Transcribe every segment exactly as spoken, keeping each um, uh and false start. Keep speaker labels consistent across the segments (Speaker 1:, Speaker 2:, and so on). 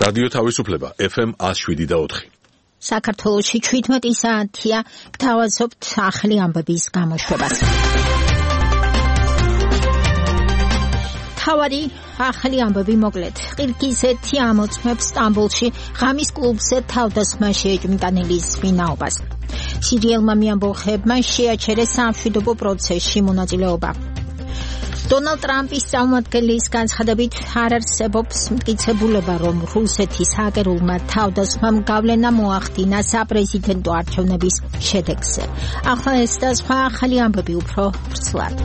Speaker 1: რადიო თავისუფლება ეფ ემ one oh seven point four.
Speaker 2: საქართველოში შვიდმეტი საათია, გთავაზობთ ახალი ამბების გამოშვებას. თავარი ახალი ამბები მოკლედ. ყირგიზეთი ამოწმებს სტამბოლში ღამის კლუბზე თავდასხმა შეეჭვმიტანილის ვინაობას. სირიელმა მიამბოხებმა შეაჩერეს სამშვიდობო პროცესში მონაწილეობა. დონალდ ტრამპის წარმომადგენლის განცხადებით არ არსებობს მტკიცებულება, რომ რუსეთის ჰაკერულმა თავდასხმამ გავლენა მოახდინა საპრეზიდენტო არჩევნების შედეგზე. ახლა ეს და სხვა ახალი ამბები უფრო ვრცლად.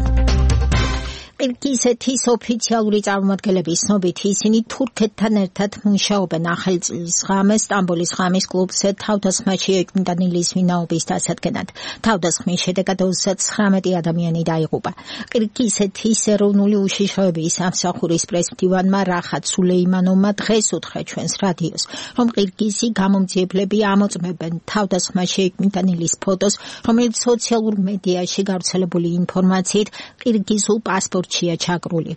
Speaker 2: ყირგიზეთის ოფიციალური წარმომადგენლების ცნობით ისინი თურქეთთან ერთად მუშაობენ ახალი წლის ღამეს სტამბოლის ღამის კლუბზე თავდასხმა შეეჭვმიტანილის ვინაობის დასადგენად. თავდასხმის შედეგად ოცდათხრამეტი ადამიანი დაიღუპა. ყირგიზეთის ეროვნული უშიშროების სამსახურის პრეზიდენტმა რახატ სულეიმანოვმა დღეს უთხრა ჩვენს რადიოს, რომ ყირგიზი გამომძიებლები ამოწმებენ თავდასხმა შეეჭვმიტანილის ფოტოს, რომელიც სოციალურ მედიაში გავრცელებული ინფორმაციით ყირგიზულ პასპორტ ჩაგრული.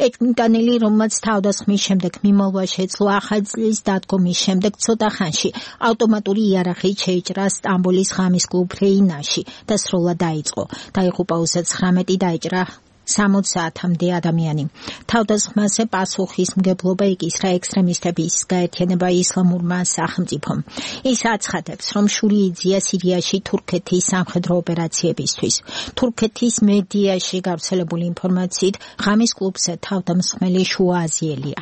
Speaker 2: ეჭვმიტანილი, რომელმაც თავდასხმის შემდეგ მიმალვა შეძლო ახალი წლის დადგომის შემდეგ ცოტა ხანში ავტომატური იარაღით შეიჭრა სტამბოლის ღამის კლუბ რეინაში და სრულად დაიწყო. დაიღუპა ოცდათხრამეტი, დაიჭრა სამოცამდე ადამიანი. თავდასხმაზე პასუხისმგებლობა იკისრა ექსტრემისტების გაერთიანება ისლამურმა სახელმწიფომ. ის აცხადებს, რომ შური იძია სირიაში თურქეთის სამხედრო ოპერაციებისთვის. თურქეთის მედიაში გავრცელებული ინფორმაციით ღამის კლუბზე თავდამსხმელი შუა აზიელია.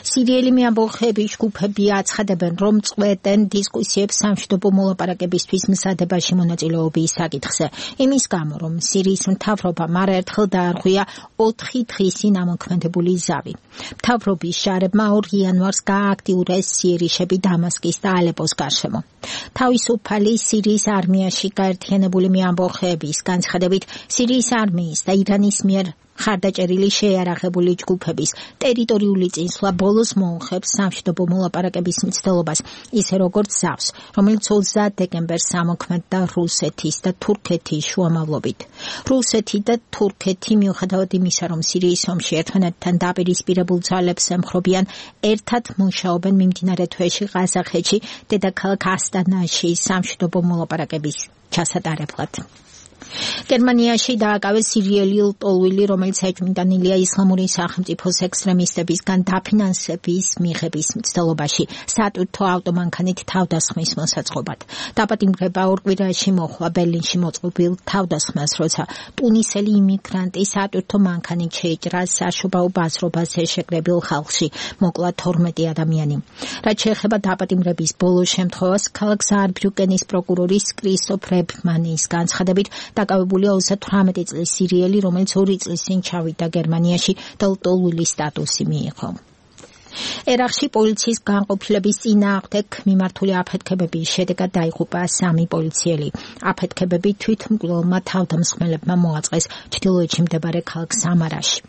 Speaker 2: სირიელი მიამბოხების ჯგუფები აცხადებენ, რომ წყვეტენ დისკუსიებს სამშვიდობო მოლაპარაკებისთვის მზადებაში მონაწილეობის საკითხზე. იმის გამო, რომ სირიის მთავრობამ არაერთხელ დაარღვია ოთხი დღისი ნამოქმედებული ზავი. მთავრობის შარებმა ორ იანვარს გაააქტიურეს სიერიშები დამასკის და ალეპოს გარშემო. თავისუფალი სირიის არმიაში გაერთიანებული მიამბოხების განცხადებით, სირიის არმიის და ირანის მიერ ხარდაჭერილი შეიარაღებული ჯგუფების ტერიტორიული წინსვლა ბოლოს მოუხებს სამშვიდობო მოლაპარაკების მცდელობას, ისე როგორც ზავს, რომელიც ოცდაათ დეკემბერს ამოქმედდა რუსეთის და თურქეთის შუამავლობით. რუსეთი და თურქეთი მიუხედავად იმისა, რომ სირიის ომში ერთმანეთთან დაპირისპირებულ ძალებს ემხრობიან, ერთად მუშაობენ მიმდინარე თვეში ყაზახეთში დედაქალაქ ასტანაში სამშვიდობო მოლაპარაკების ჩასატარებლად. გერმანიაში დააკავეს სირიელი ლტოლვილი, რომელიც ეჭვმიტანილია ისლამური სახელმწიფოს ექსტრემისტებისგან დაფინანსების მიღების მცდელობაში სატვირთო ავტომანქანით თავდასხმის მოსაწყობად. დაპატიმრება ორ კვირაში მოხდა ბერლინში მოწყობილ თავდასხმას, როცა ტუნისელი იმიგრანტი სატვირთო მანქანით შეიჭრა საშობაო ბაზრობაზე შეკრებილ ხალხში, მოკლა თორმეტი ადამიანი. რაც შეეხება დაპატიმრების ბოლო შემთხვევას, ქალაქ საარბრიუკენის პროკურორის კრისტოფ რებმანის განცხადებით, დაკავებულია ოცდათვრამეტი წლის სირიელი, რომელიც ორი წლის წინ ჩავიდა გერმანიაში და ლტოლვილის სტატუსი მიიღო. ერაყში პოლიციის განყოფილების წინააღმდეგ მიმართული აფეთქებების შედეგად დაიღუპა სამი პოლიციელი. აფეთქებები თვითმკვლელმა თავდამსხმელებმა მოაწყეს ჩრდილოეთში მდებარე ქალაქ სამარაში.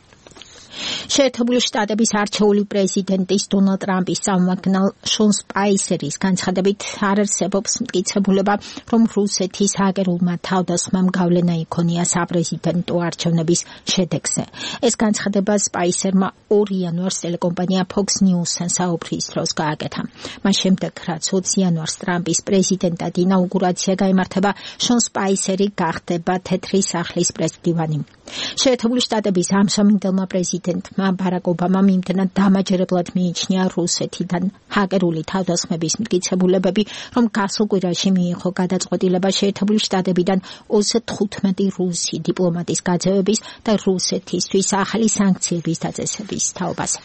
Speaker 2: შეერთებული შტატების არჩეული პრეზიდენტის დონალდ ტრამპის წარმომადგენელ შონ სპაისერის განცხადებით არ არსებობს მტკიცებულება, რომ რუსეთის ჰაკერულმა თავდასხმამ გავლენა იქონია საპრეზიდენტო არჩევნების შედეგზე. ეს განცხადება სპაისერმა ორ იანვარს ტელეკომპანია Fox News-თან საუბრის დროს გააკეთა. მას შემდეგ, რაც ოცი იანვარს ტრამპის პრეზიდენტად ინაუგურაცია გაიმართება, შონ სპაისერი გახდება თეთრი სახლის პრეზიდენტი. შეერთებული შტატების ამჟამინდელმა პრეზიდენტმა ბარაკ ობამამ იმდენად დამაჯერებლად მიიჩნია რუსეთიდან ჰაკერული თავდასხმების მტკიცებულებები, რომ გასულ კვირაში მიიღო გადაწყვეტილება შეერთებული შტატებიდან ოცდათხუთმეტი რუსი დიპლომატის გაძევების და რუსეთისთვის ახალი სანქციების დაწესების თაობაზე.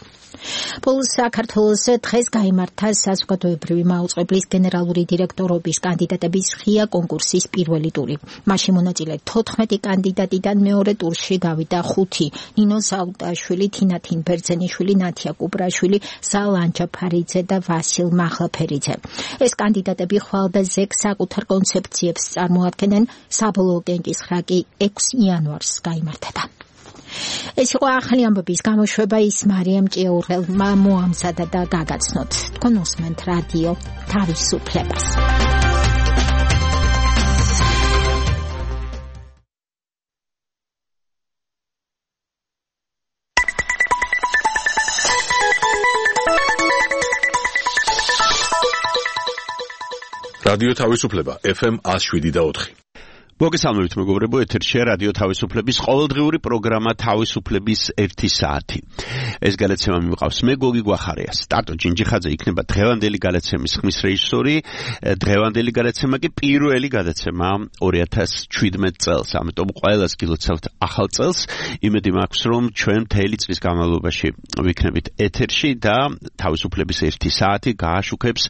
Speaker 2: ბოლოს საქართველოში დღეს გაიმართა საზოგადოებრივი მაუწყებლის გენერალური დირექტორობის კანდიდატების ღია კონკურსის პირველი ტური. მასში მონაწილე თოთხმეტი კანდიდატიდან მეორე ტურში გავიდა ხუთი: ნინო საუტაშვილი, თინა თინბერძენიშვილი, ნათია კუბრაშვილი, ზალ ანჯაფარიძე და ვასილ მაღლაფერიძე. ეს კანდიდატები ხვალდაზე საკუთარ კონცეფციებს წარმოადგენენ. საბოლოო კენჭისხრა კი ექვსი იანვარს გაიმართება. ეს იყო ახალი ამბების გამოშვება, ის მარიამ ჭიაურელმა მოამზადა და გაგაცნოთ. თქვენ უსმენთ რადიო თავისუფლებას.
Speaker 1: რადიო თავისუფლება ეფ ემ one oh seven point four.
Speaker 3: მოგესალმებით მეგობრებო, ეთერშია რადიო თავისუფლების ყოველდღიური პროგრამა თავისუფლების ერთი საათი. ეს გადაცემა მივყავს მე გოგი გვახარია. სტარტო ჯინჯიხაძე იქნება დღევანდელი გადაცემის ხმის რეჟისორი. დღევანდელი გადაცემა კი პირველი გადაცემა two thousand seventeen წელს. ამიტომ ყველას გილოცავთ ახალ წელს. იმედი მაქვს, რომ ჩვენ მთელი წლის განმავლობაში ვიქნებით ეთერში და თავისუფლების ერთი საათი გააშუქებს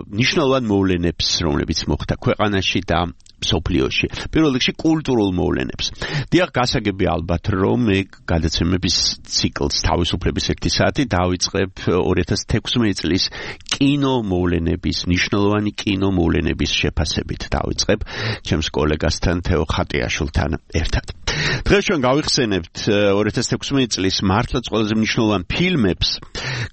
Speaker 3: ნიშნულოვან მოვლენებს, რომლებიც მოხდა ქვეყანაში და სოფლიოში. პირველ რიგში კულტურულ მოვლენებს. დიახ, გასაგები ალბათ, რომ მე გადაცემების ციკლს თავისუფლების ერთი საათი დავიწყებ two thousand sixteen წლის კინო მოვლენების, ნიშნულოვანი კინო მოვლენების შეფასებით დავიწყებ ჩემს კოლეგასთან თეო ხატიაშვილთან ერთად. დღეს ჩვენ გავიხსენებთ two thousand sixteen წლის მართლაც ყველაზე მნიშვნელოვან ფილმებს,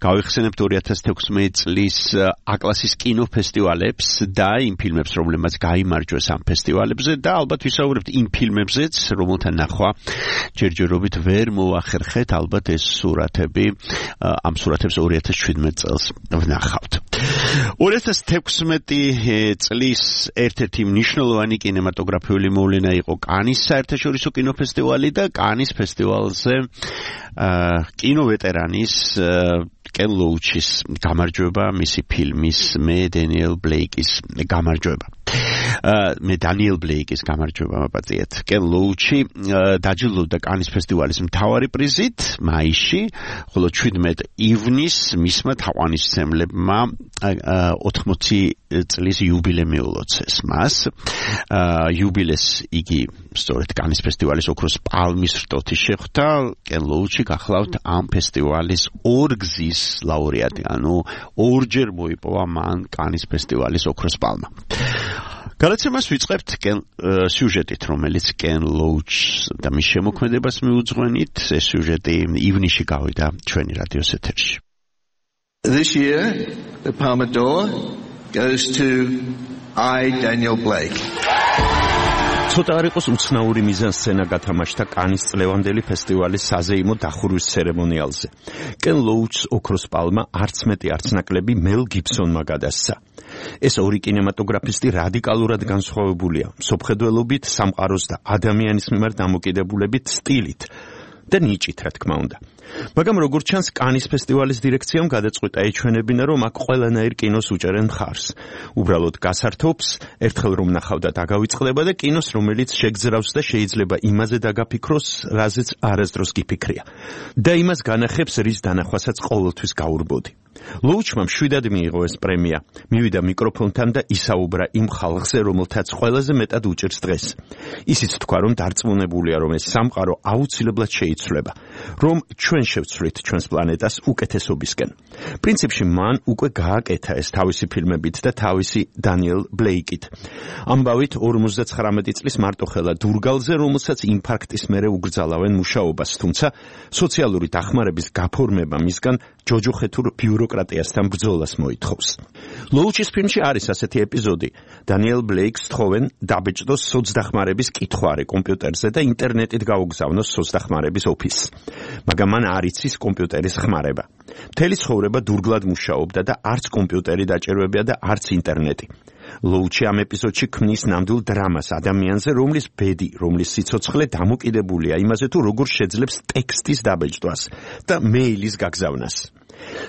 Speaker 3: გავიხსენებთ two thousand sixteen წლის აკლასის კინოფესტივალებს და იმ ფილმებს, რომლებმაც გაიმარჯვეს ამ ფესტივალებზე და ალბათ ვისაუბრებთ იმ ფილმებზეც, რომელთა ნახვა ჯერჯერობით ვერ მოახერხეთ, ალბათ ეს სურათები, ამ სურათებს two thousand seventeen წელს ვნახავთ. two thousand sixteen წლის ერთ-ერთი მნიშვნელოვანი კინემატოგრაფიული მოვლენა იყო კანის საერთაშორისო კინოფესტივალი და კანის ფესტივალზე კინოვეტერანის კენ ლოუჩის გამარჯვება, მისი ფილმის მე დენიელ ბლეიკის გამარჯვება. მე დანიელ ბლეიკის გამარჯვება მაპატიეთ. კენ ლოუჩი დაჯილდოვდა კანის ფესტივალის მთავარი პრიზით მაისში, ხოლო seventeen ივნის მისმა თაყვანისმცემლებმა ოთხმოცი წლის იუბილე მიულოცეს მას. იუბილეს იგი სწორედ კანის ფესტივალის ოქროს პალმის რტოთი შეხვდა. კენ ლოუჩი გახლავთ ამ ფესტივალის ორგზის ლაურეატი, ანუ ორჯერ მოიპოვა მან კანის ფესტივალის ოქროს პალმა. გადაცემას ვიწყებთ სიუჟეტით, რომელიც კენ ლოუჩს და მის შემოქმედებას მიუძღვენით. ეს სიუჟეტი ივნისში გავიდა ჩვენი რადიოს ეთერში.
Speaker 4: This year, the Palme d'Or goes to I, Daniel Blake.
Speaker 3: ცოტა არ იყოს უცნაური მიზანსცენა გათამაშდა კანის წლევანდელი ფესტივალის საზეიმო დახურვის ცერემონიალზე. კენ ლოუჩს ოქროს პალმა არც მეტი არც ნაკლები მელ გიბსონმა გადასცა. ეს ორი კინემატოგრაფისტი რადიკალურად განსხვავებულია მსოფლმხედველობით, სამყაროს და ადამიანის მიმართ დამოკიდებულებით, სტილით და ნიჭით, რა თქმა უნდა. მაგრამ როგორც ჩანს, კანის ფესტივალის დირექციამ გადაწყვიტა ეჩვენებინა, რომ აქ ყველანაირ კინოს უჭერენ მხარს. უბრალოდ გასართობს, ერთხელ რომ ნახავდა დაგავიწყდება და კინოს, რომელიც შეგძრავს და შეიძლება იმაზე დაგაფიქროს, რაზეც არასდროს გიფიქრია. და იმას განახებს, რის დანახვასაც ყოველთვის გაურბოდი. ლოუჩმა მშვიდად მიიღო ეს პრემია. მივიდა მიკროფონთან და ისაუბრა იმ ხალხზე, რომელთაც ყველაზე მეტად უჭირს დღეს. ისიც თქვა, რომ დარწმუნებულია, რომ ეს სამყარო აუცილებლად შეიცვლება, რომ ჩვენ შევცვლით ჩვენს პლანეტას უკეთესობისკენ. პრინციპში მან უკვე გააკეთა ეს თავისი ფილმებით და თავისი დანიელ ბლეიკით. ამბავით forty-nine წლის მარტოხელა დურგალზე, რომელსაც ინფარქტის მერე უგრძალავენ მუშაობას, თუმცა სოციალური დახმარების გაფორმება მისგან ჯოჯოხეთურ ბიუროკრატიასთან ბრძოლას მოითხოვს. ლოუჩის ფილმში არის ასეთი ეპიზოდი. დანიელ ბლეიკს თხოვენ დაბეჭდოს სოცდახმარების კითხვარი კომპიუტერზე და ინტერნეტით გაუგზავნოს სოცდახმარების ოფისს. მაგრამ მან არ იცის კომპიუტერის ხმარება. მთელი ცხოვრება დურგლად მუშაობდა და არც კომპიუტერი დაჭირვებია და არც ინტერნეტი. ლოუჩი ამ ეპიზოდში ქმნის ნამდვილ დრამას ადამიანზე, რომლის ბედი, რომლის სიცოცხლე დამოკიდებულია იმაზე, თუ როგორ შეძლებს ტექსტის დაბეჭდვას და მეილის გაგზავნას.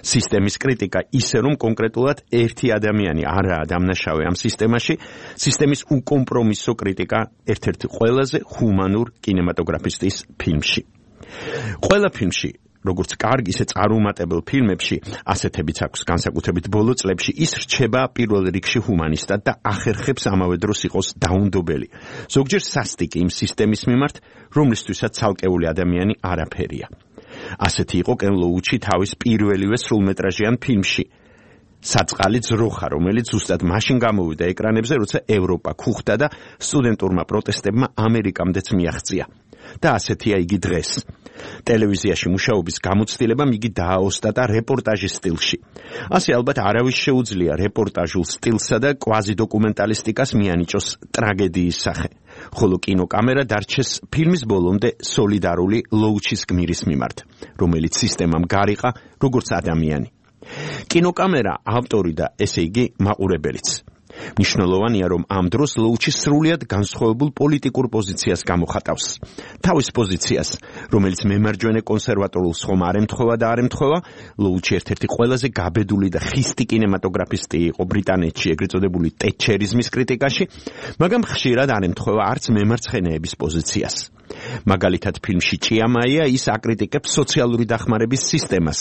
Speaker 3: სისტემის კრიტიკა ისე, რომ კონკრეტულად ერთი ადამიანი არაა დამნაშავე ამ სისტემაში, სისტემის უკომპრომისო კრიტიკა ერთ-ერთი ყველაზე ჰუმანურ კინემატოგრაფისტის ფილმში. ყველა ფილმში, როგორც კარგ, ისე წარუმატებელ ფილმებში, ასეთებიც აქვს განსაკუთრებით ბოლო წლებში, ის რჩება პირველ რიგში ჰუმანისტად და ახერხებს ამავე დროს იყოს დაუნდობელი. ზოგჯერ სასტიკი იმ სისტემის მიმართ, რომლისთვისაც ცალკეული ადამიანი არაფერია. ასეთი იყო კენ ლოუჩი თავის პირველივე სრულმეტრაჟიან ფილმში. საწყალი ძროხა, რომელიც ზუსტად მაშინ გამოვიდა ეკრანებზე, როცა ევროპა ქუხდა და სტუდენტურმა პროტესტებმა ამერიკამდეც მიაღწია. და ასეთია იგი დღეს. ტელევიზიაში მუშაობის გამოცდილებამ იგი დააოსტატა რეპორტაჟის სტილში. ასე ალბათ არავის შეუძლია რეპორტაჟულ სტილსა და კვაზიდოკუმენტალისტიკას მიანიჭოს ტრაგედიის სახე. ხოლო კინოკამერა დარჩეს ფილმის ბოლომდე სოლიდარული ლოუჩის გმირის მიმართ, რომელიც სისტემამ გარიყა როგორც ადამიანი. კინოკამერა ავტორი და ესე იგი მაყურებელიც. მნიშვნელოვანია, რომ ამ დროს ლოუჩი სრულიად განსხვავებულ პოლიტიკურ პოზიციას გამოხატავს. თავის პოზიციას, რომელიც მემარჯვენე კონსერვატორულს ხომ არ ემთხვევა და არ ემთხვევა, ლოუჩი ერთ-ერთი ყველაზე გაბედული და ხისტი კინემატოგრაფისტი იყო ბრიტანეთში, ეგრეთ წოდებული ტეტჩერიზმის კრიტიკაში, მაგრამ ხშირად არ ემთხვევა არც მემარცხენეების პოზიციას. მაგალითად, ფილმში ჭიამაია ის აკრიტიკებს სოციალური დახმარების სისტემას,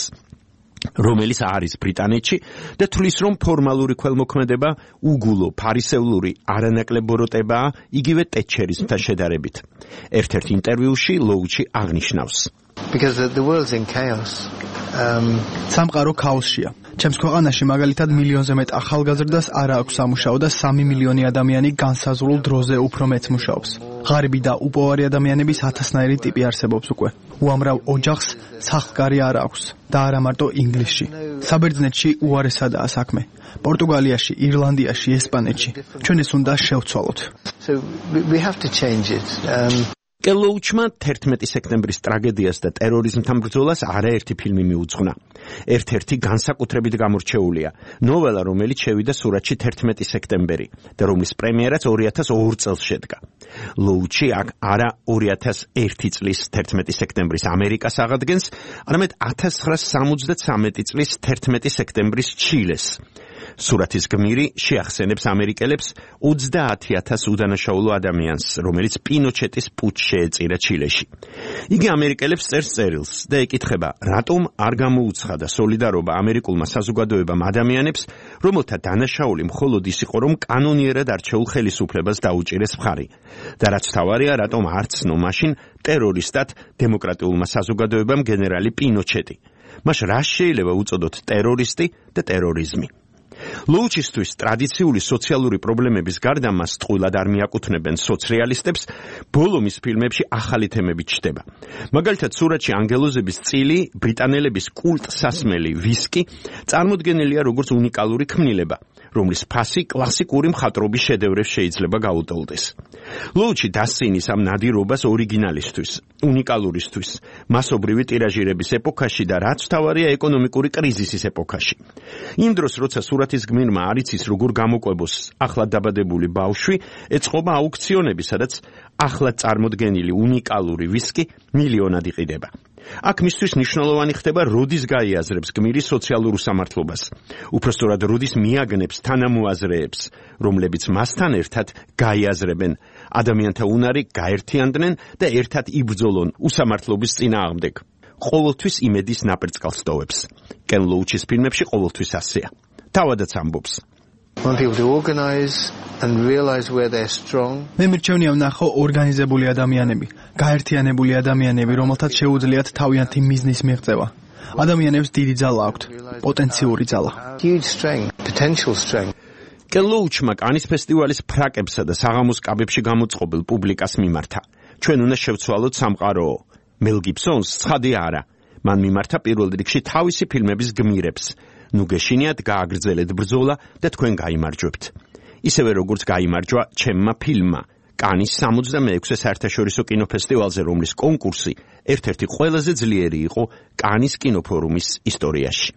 Speaker 3: რომელიც არის ბრიტანეთში და თვლის, რომ ფორმალური ქველმოქმედება უგულო, ფარისევლური, არანაკლებ ბოროტებაა იგივე ტეტჩერიზმთან შედარებით. ერთ-ერთ ინტერვიუში ლოუჩი აღნიშნავს:
Speaker 5: Because the, the world's in chaos. Um
Speaker 6: სამყარო ქაოსშია. ჩემს ქვეყანაში მაგალითად მილიონზე მეტ ახალგაზრდას არ აქვს სამუშაო და სამი მილიონი ადამიანი განსაზღვრულ დროზე უფრო მეც მუშაობს. ღარიბი და უპოვარი ადამიანების ათასნაირი ტიპი არსებობს უკვე. უამრავ ოჯახს სახლკარი არ აქვს და არა მარტო ინგლისში. საბერძნეთში უარესადაა საქმე. პორტუგალიაში, ირლანდიაში, ესპანეთში. ჩვენ ეს უნდა შევცვალოთ.
Speaker 5: So we, we have to change it. Um
Speaker 3: კელოუჩმა თერთმეტი სექტემბრის ტრაგედიას და ტერორიზმთან ბრძოლას არაერთი ფილმი მიუძღვნა. ერთ-ერთი განსაკუთრებით გამორჩეულია, ნოველა, რომელიც შევიდა სურათში თერთმეტი სექტემბერი და რომლის პრემიერაც ორი ათას ორ წელს შედგა. ლოუჩი აქ არა ორი ათას ერთი წლის თერთმეტი სექტემბრის ამერიკას აღადგენს, არამედ ათას ცხრაასა სამოცდათრამეტი წლის თერთმეტი სექტემბრის ჩილეს. სურათის გმირი შეახსენებს ამერიკელებს ოცდაათი ათას უდანაშაულო ადამიანს, რომელიც პინოჩეტის პუტჩს შეეწირა ჩილეში. იგი ამერიკელებს წერს წერილს და ეკითხება, რატომ არ გამოუცხადა სოლიდარობა ამერიკულმა საზოგადოებამ ადამიანებს, რომელთა დანაშაული მხოლოდ ის იყო, რომ კანონიერად არჩეულ ხელისუფლებას დაუჭირეს მხარი. და რაც თავარია, რატომ არ ცნო მაშინ ტერორისტად დემოკრატიულმა საზოგადოებამ გენერალი პინოჩეტი. მას რა შეიძლება უწოდოთ ტერორისტი და ტერორიზმი? ლოუჩისთვის ტრადიციული სოციალური პრობლემების გარდა მას ტყუილად არ მიაკუთვნებენ სოციალისტებს, ბოლო მის ფილმებში ახალი თემები ჩნდება. მაგალითად, სურათში ანგელოზების წილი, ბრიტანელების კულტ სასმელი ვისკი წარმოდგენილია როგორც უნიკალური ქმნილება, რომლის ფასი კლასიკური მხატვრობის შედევრებს შეიძლება გაუტოლდეს. ლოუჩი დასცინის ამ ნადირობას ორიგინალისთვის, უნიკალურისთვის, მასობრივი ტირაჟირების ეპოქაში და რაც თავარია ეკონომიკური კრიზისის ეპოქაში. იმ დროს, როცა სურათის გმირმა არ იცის როგორ გამოყვებოს ახლად დაბადებული ბავშვი, ეწყობა აუქციონები, სადაც ახლად წარმოდგენილი უნიკალური ვისკი მილიონად იყიდება. აქ მისთვის მნიშვნელოვანი ხდება, როდის გაიაზრებს გმირი სოციალურ უსამართლობას. უпростоრად როდის მიაგნებს თანამოაზრეებს, რომლებიც მასთან ერთად გაიაზრებენ ადამიანთა უნარი, გაერთიანდნენ და ერთად იბრძოლონ უსამართლობის წინააღმდეგ. ყოველთვის იმედის ნაპერწკალს ტოვებს. კენ ლოუჩის ფილმებში ყოველთვის ასეა. თავადაც ამბობს.
Speaker 5: Want people to organize and realize where they're strong.
Speaker 6: მე მირჩევნია ვნახო ორგანიზებული ადამიანები, გაერთიანებული ადამიანები, რომელთაც შეუძლიათ თავიანთი მიზნის მიღწევა. ადამიანებს დიდი ძალა აქვთ, პოტენციური ძალა.
Speaker 5: Huge strength, potential strength.
Speaker 3: კელოუჩმა კანის ფესტივალის ფრაკებსა და საღამოს კაბებში გამოწყობილ პუბლიკას მიმართა. ჩვენ უნდა შევცვალოთ სამყარო. მელ გიბსონს ცხადი არა. მან მიმართა პირველ რიგში თავისი ფილმების გმირებს. ნუ გეშინიათ გააგრძელეთ ბრძოლა და თქვენ გაიმარჯვებთ. ისევე როგორც გაიმარჯვა ჩემმა ფილმმა კანის სამოცდამეექვსე საერთაშორისო კინოფესტივალზე, რომლის კონკურსი ერთ-ერთი ყველაზე ძლიერი იყო კანის კინოფორუმის ისტორიაში.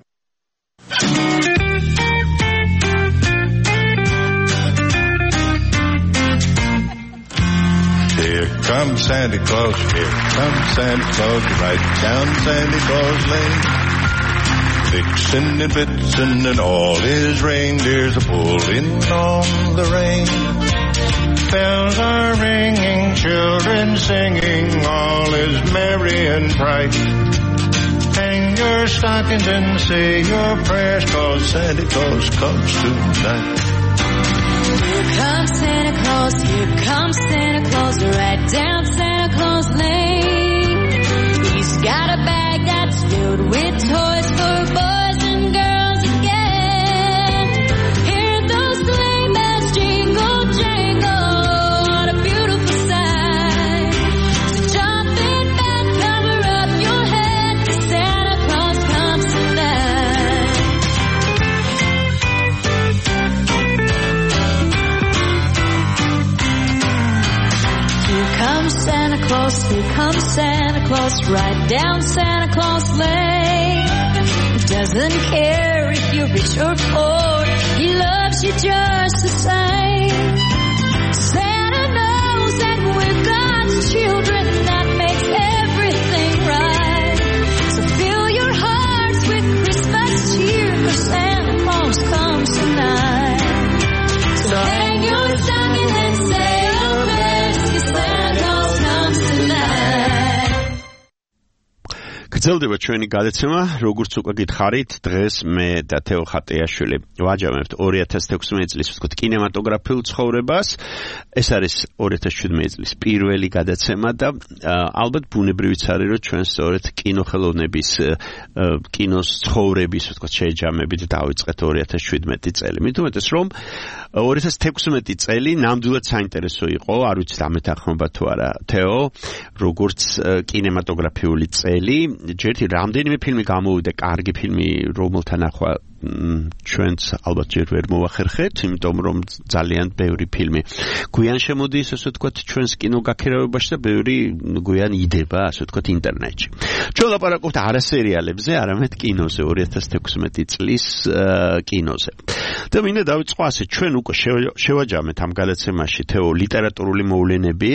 Speaker 7: Here comes Santa Claus, here comes Santa Claus, right down Santa Claus Lane. Vixen and Blitzen and all his reindeers are pulling on the rein. Bells are ringing, children singing, all is merry and bright. Hang your stockings and say your prayers, 'cause Santa Claus comes tonight.
Speaker 8: Here comes Santa Claus, here comes Santa Claus, right down Santa Claus Lane. He's got a bag that's filled with toys for boys and girls again. Hear those sleigh bells jingle, jangle, what a beautiful sight. So jump in bed, cover up your head, 'cause Santa Claus comes tonight. Here comes Santa Claus, here comes Santa Claus, right down Santa Claus Lane. doesn't care if you're rich or poor. He loves you just the same. Santa knows that we're God's children. That makes everything right. So fill your hearts with Christmas cheer, 'cause Santa Claus comes tonight. So hang your stocking and say your prayers, 'cause Santa Claus comes tonight.
Speaker 3: გრძელდება ჩვენი გადაცემა, როგორც უკვე გითხარით, დღეს მე და თეო ხატეაშვილი ვაჯამებთ ორი ათას თექვსმეტი წლის ვთქვათ კინემატოგრაფიულ ცხოვრებას. ეს არის ორი ათას შვიდმეტი წლის პირველი გადაცემა და ალბათ ბუნებრივიც არის, რომ ჩვენ სწორედ კინოხელოვნების კინოს ცხოვრების ვთქვათ შეჯამებით დავიწყეთ ორი ათას შვიდმეტი წელი. მით უმეტეს რომ ორი ათას თექვსმეტი წელი ნამდვილად საინტერესო იყო, არ ვიცი დამეთანხმება თუ არა თეო, როგორც კინემატოგრაფიული წელი. ჯერთი რამდენიმე ფილმი გამოვიდა, კარგი ფილმი, რომელთა ნახვა ჩვენც ალბათ ჯერ ვერ მოვახერხეთ, იმიტომ რომ ძალიან ბევრი ფილმი გვიან შემოდის, ასე ვთქვათ, ჩვენს კინოგაქირავებაში და ბევრი გვიან იდება, ასე ვთქვათ, ინტერნეტში. ჩვენ ლაპარაკობთ არა სერიალებზე, არამედ კინოზე, ორი ათას თექვსმეტი წლის კინოზე. და მინდა დავიწყო ასე, ჩვენ უკვე შევაჯამეთ ამ გადაცემაში თეო ლიტერატურული მოვლენები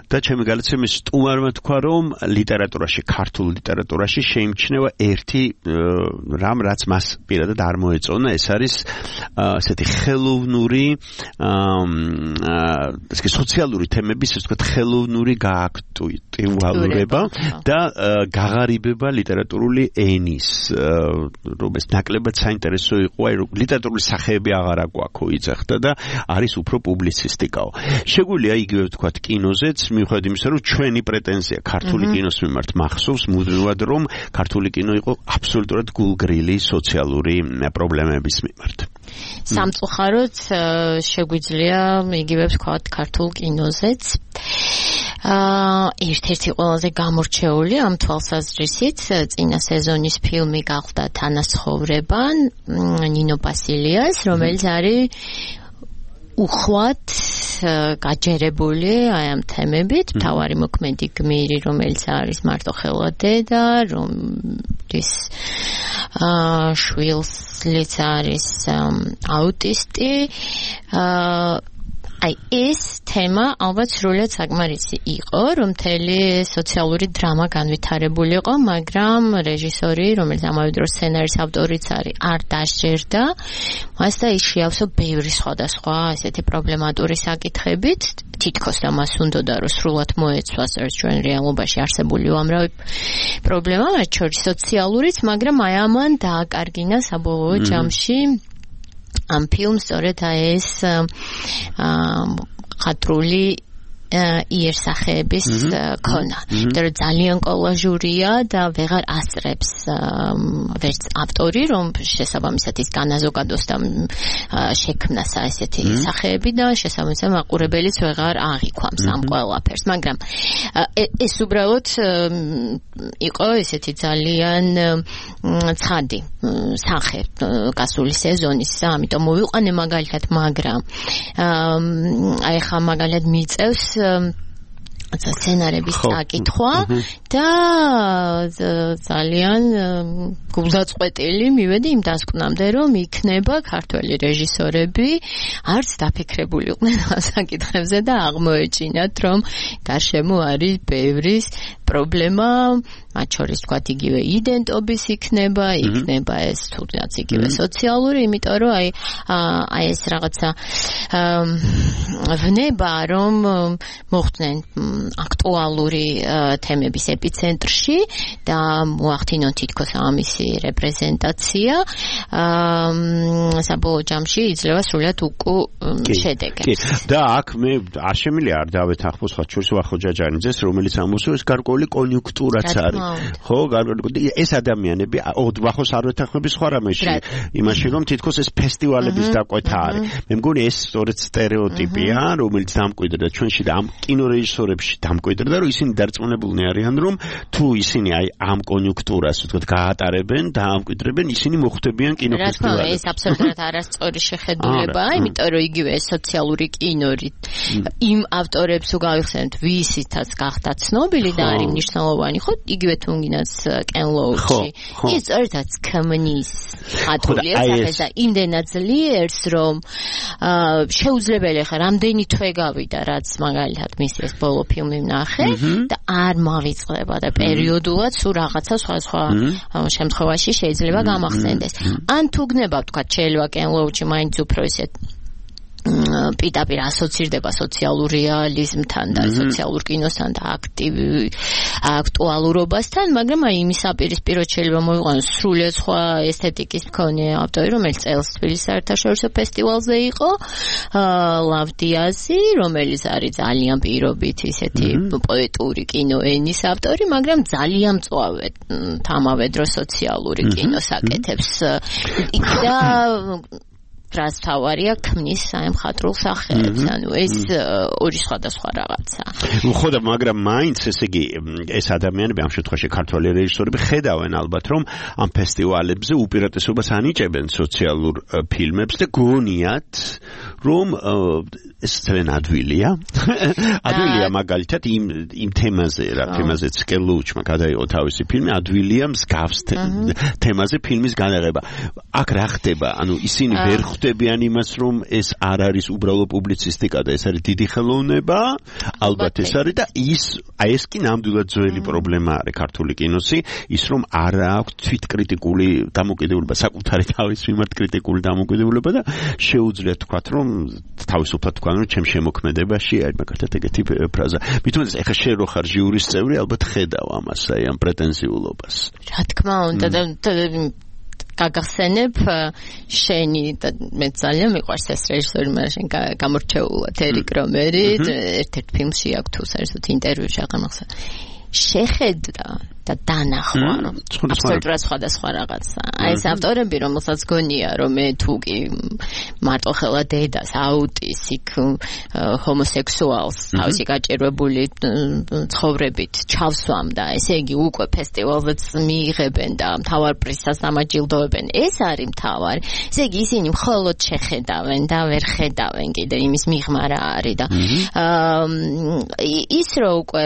Speaker 3: და ჩემი გადაცემის სტუმარმა თქვა, რომ ლიტერატურაში, ქართულ ლიტერატურაში შეიმჩნევა ერთი რამ, რაც მას პირადად არ მოეწონა, ეს არის ასეთი ხელოვნური ესე სოციალური თემების, ასე ვთქვათ, ხელოვნური გააქტუალურება და გაღარიბება ლიტერატურული ენის, რომ ეს ნაკლებად საინტერესო იყო, აი რომ ლიტერატურული სახეები აღარ აგვაქვს იწეხდა და არის უფრო პუბლიცისტიკაო. შეგვიძლია იგივე ვთქვათ კინოზეც, მიუხედავად იმისა, რომ ჩვენი პრეტენზია ქართული კინოს მიმართ მახსოვს მუდმივად, რომ ქართული კინო იყო აბსოლუტურად გულგრილი სოციალური პრობლემების მიმართ.
Speaker 9: სამწუხაროდ შეგვიძლია იგივე ვთქვათ ქართულ კინოზეც. აა ერთ-ერთი ყველაზე გამორჩეული ამ თვალსაზრისით წინა სეზონის ფილმი გახდა თანაცხოვრება ნინო ბასილიას, რომელიც არის უხვად გაჯერებული აი ამ თემებით, მთავარი მოქმედი გმირი, რომელიც არის მარტო ხელადედა, რომლის აა შვილიც არის აუტისტი. აა აი ეს თემა ალბათ სრულად საკმარისი იყო, რომ მთელი სოციალური დრამა განვითარებულიყო, მაგრამ რეჟისორი, რომელიც ამავე დროს სცენარის ავტორიც არის, არ დასჯერდა მას და ის შეავსო ბევრი სხვადასხვა ესეთი პრობლემატური საკითხებით, თითქოს და მას უნდოდა რომ სრულად მოეცვას ჩვენ რეალობაში არსებული უამრავი პრობლემა, მათ შორის სოციალურიც, მაგრამ აი ამან დააკარგინა საბოლოო ჯამში ამ ფილმს სწორედ ეს ხატრული იერსახეების ქონა. იმიტომ რომ ძალიან კოლაჟურია და ვეღარ ასწრებს ვერც ავტორი, რომ შესაბამისად ის განაზოგადოს და შექმნას ესეთი სახეები და შესაბამისად მაყურებელიც ვეღარ აღიქვამს ამ ყველაფერს. მაგრამ ეს უბრალოდ იყო ესეთი ძალიან ცხადი სახე გასული სეზონის, ამიტომ მოვიყვანე მაგალითად, მაგრამ აი ხა მაგალითად მიწევს სცენარების წაკითხვა და ძალიან გულდაწყვეტილი მივედი იმ დასკვნამდე, რომ იქნება ქართველი რეჟისორები არც დაფიქრებული იყვნენ ამ საკითხებზე და აღმოეჩინათ, რომ გარშემო არის ბევრი პრობლემა, მათ შორის თქვათ იგივე იდენტობის იქნება, იქნება ეს თუნდაც იგივე სოციალური, იმიტომ რომ აი აი ეს რაღაცა ვნება, რომ მოხდნენ აქტუალური თემების ეპიცენტრში და მოახდინონ თითქოს ამისი რეპრეზენტაცია, საბოლოო ჯამში იძლევა სრულად უკუ შედეგებს.
Speaker 3: და აქ მე არ შემიძლია არ დავეთანხმოს ხათ შორის ვახო ჯაჯანიძეს, რომელიც ამოსულს გარკვეული კონიუნქტურაც არის. ხო, გარკვეული ეს ადამიანები ვახოს არ ვეთანხმები სხვა რამეში, იმაში რომ თითქოს ეს ფესტივალების დაკვეთა არის. მე მგონი ეს სწორედ სტერეოტიპია, რომელიც დამკვიდრდა ჩვენში და ამ კინორეჟისორებში ბავშვი დამკვიდრდა, რომ ისინი დარწმუნებულნი არიან, რომ თუ ისინი აი ამ კონიუნქტურას ვთქვათ გაატარებენ, დაამკვიდრებენ, ისინი მოხვდებიან კინოფესტივალებში.
Speaker 9: ეს აბსოლუტურად არასწორი შეხედულებაა, იმიტომ რომ იგივე სოციალური კინორი იმ ავტორებს უგავიხსენებთ, ვისითაც გახდა ცნობილი და არის მნიშვნელოვანი, ხო, იგივე თუნგინაც კენ ლოუჩი. ის ერთად ქმნის ატოლიერს ახლა იმდენად ძლიერს, რომ შეუძლებელი ხარ რამდენი თვე გავიდა, რაც მაგალითად მის ეს ბოლო ფილმი ვნახე და არ მავიწყდება და პერიოდულად სულ რაღაცა სხვა-სხვა შემთხვევაში შეიძლება გამახსენდეს. ან თუ გნება თქვა შეიძლება კენ ლოუჩი მაინც უფრო ისეთ პირდაპირ ასოცირდება სოციალურ რეალიზმთან და სოციალურ კინოსთან და აქტივ აქტუალურობასთან, მაგრამ აი იმის აპირისპიროდ შეიძლება მოიყვანოს სრულიად სხვა ესთეტიკის მქონე ავტორი, რომელიც წელს თბილისის საერთაშორისო ფესტივალზე იყო, ლავდიაზი, რომელიც არის ძალიან პირობით ისეთი პოეტური კინოენის ავტორი, მაგრამ ძალიან მწვავე თამავე დროს სოციალური კინოს აკეთებს. და რას თავარია ქმნის აი მხატვრულ სახელებს, ანუ ეს ორი სხვადასხვა რაღაცა.
Speaker 3: ხო და მაგრამ მაინც ესე იგი ეს ადამიანები ამ შემთხვევაში ქართველი რეჟისორები ხედავენ ალბათ რომ ამ ფესტივალებზე უპირატესობას ანიჭებენ სოციალურ ფილმებს და გონიათ რომ ეს ძალიან ადვილია. ადვილია მაგალითად იმ იმ თემაზე რა თემაზეც კელუჩმა გადაიღო თავისი ფილმი, ადვილია მსგავს თემაზე ფილმის განაღება. აქ რა ხდება? ანუ ისინი ვერ ხვდებიან იმას, რომ ეს არ არის უბრალო პუბლიცისტიკა და ეს არის დიდი ხელოვნება, ალბათ ეს არის და ის აი ეს კი ნამდვილად ძველი პრობლემა არის ქართული კინოსი, ის რომ არ აქვს თვითკრიტიკული დამოკიდებულება, საკუთარი თავის მიმართ კრიტიკული დამოკიდებულება და შეუძლია თქვათ, რომ თავისუფლად თქვა, რომ ჩემ შემოქმედებაში არის მაგალითად ეგეთი ფრაზა. მithumetes ეხა შენ რო ხარ ჟიურის წევრი, ალბათ ხედავ ამას, აი ამ პრეტენზიულობას.
Speaker 9: რა თქმა უნდა და გაგახსენებ შენი და მე ძალიან მიყვარს ეს რეჟისორი, მაგრამ შენ გამორჩეულად ერიკ რომერი ერთ-ერთ ფილმში აქვს თუ საერთოდ ინტერვიუში აღამახსა შეხედა და დანახვა რომ აბსოლუტურად სხვადასხვა რაღაცა. აი ეს ავტორები, რომელსაც გონია რომ მე თუ კი მარტო ხელა დედას, აუტისტიკ, ჰომოსექსუალს, თავისი გაჭირვებული ცხოვრებით ჩავსვამ და ესე იგი უკვე ფესტივალზეც მიიღებენ და მთავარ პრიზსაც დამაჯილდოებენ. ეს არის მთავარი. ესე იგი ისინი მხოლოდ შეხედავენ და ვერ ხედავენ კიდე იმის მიღმა რა არის და ის რო უკვე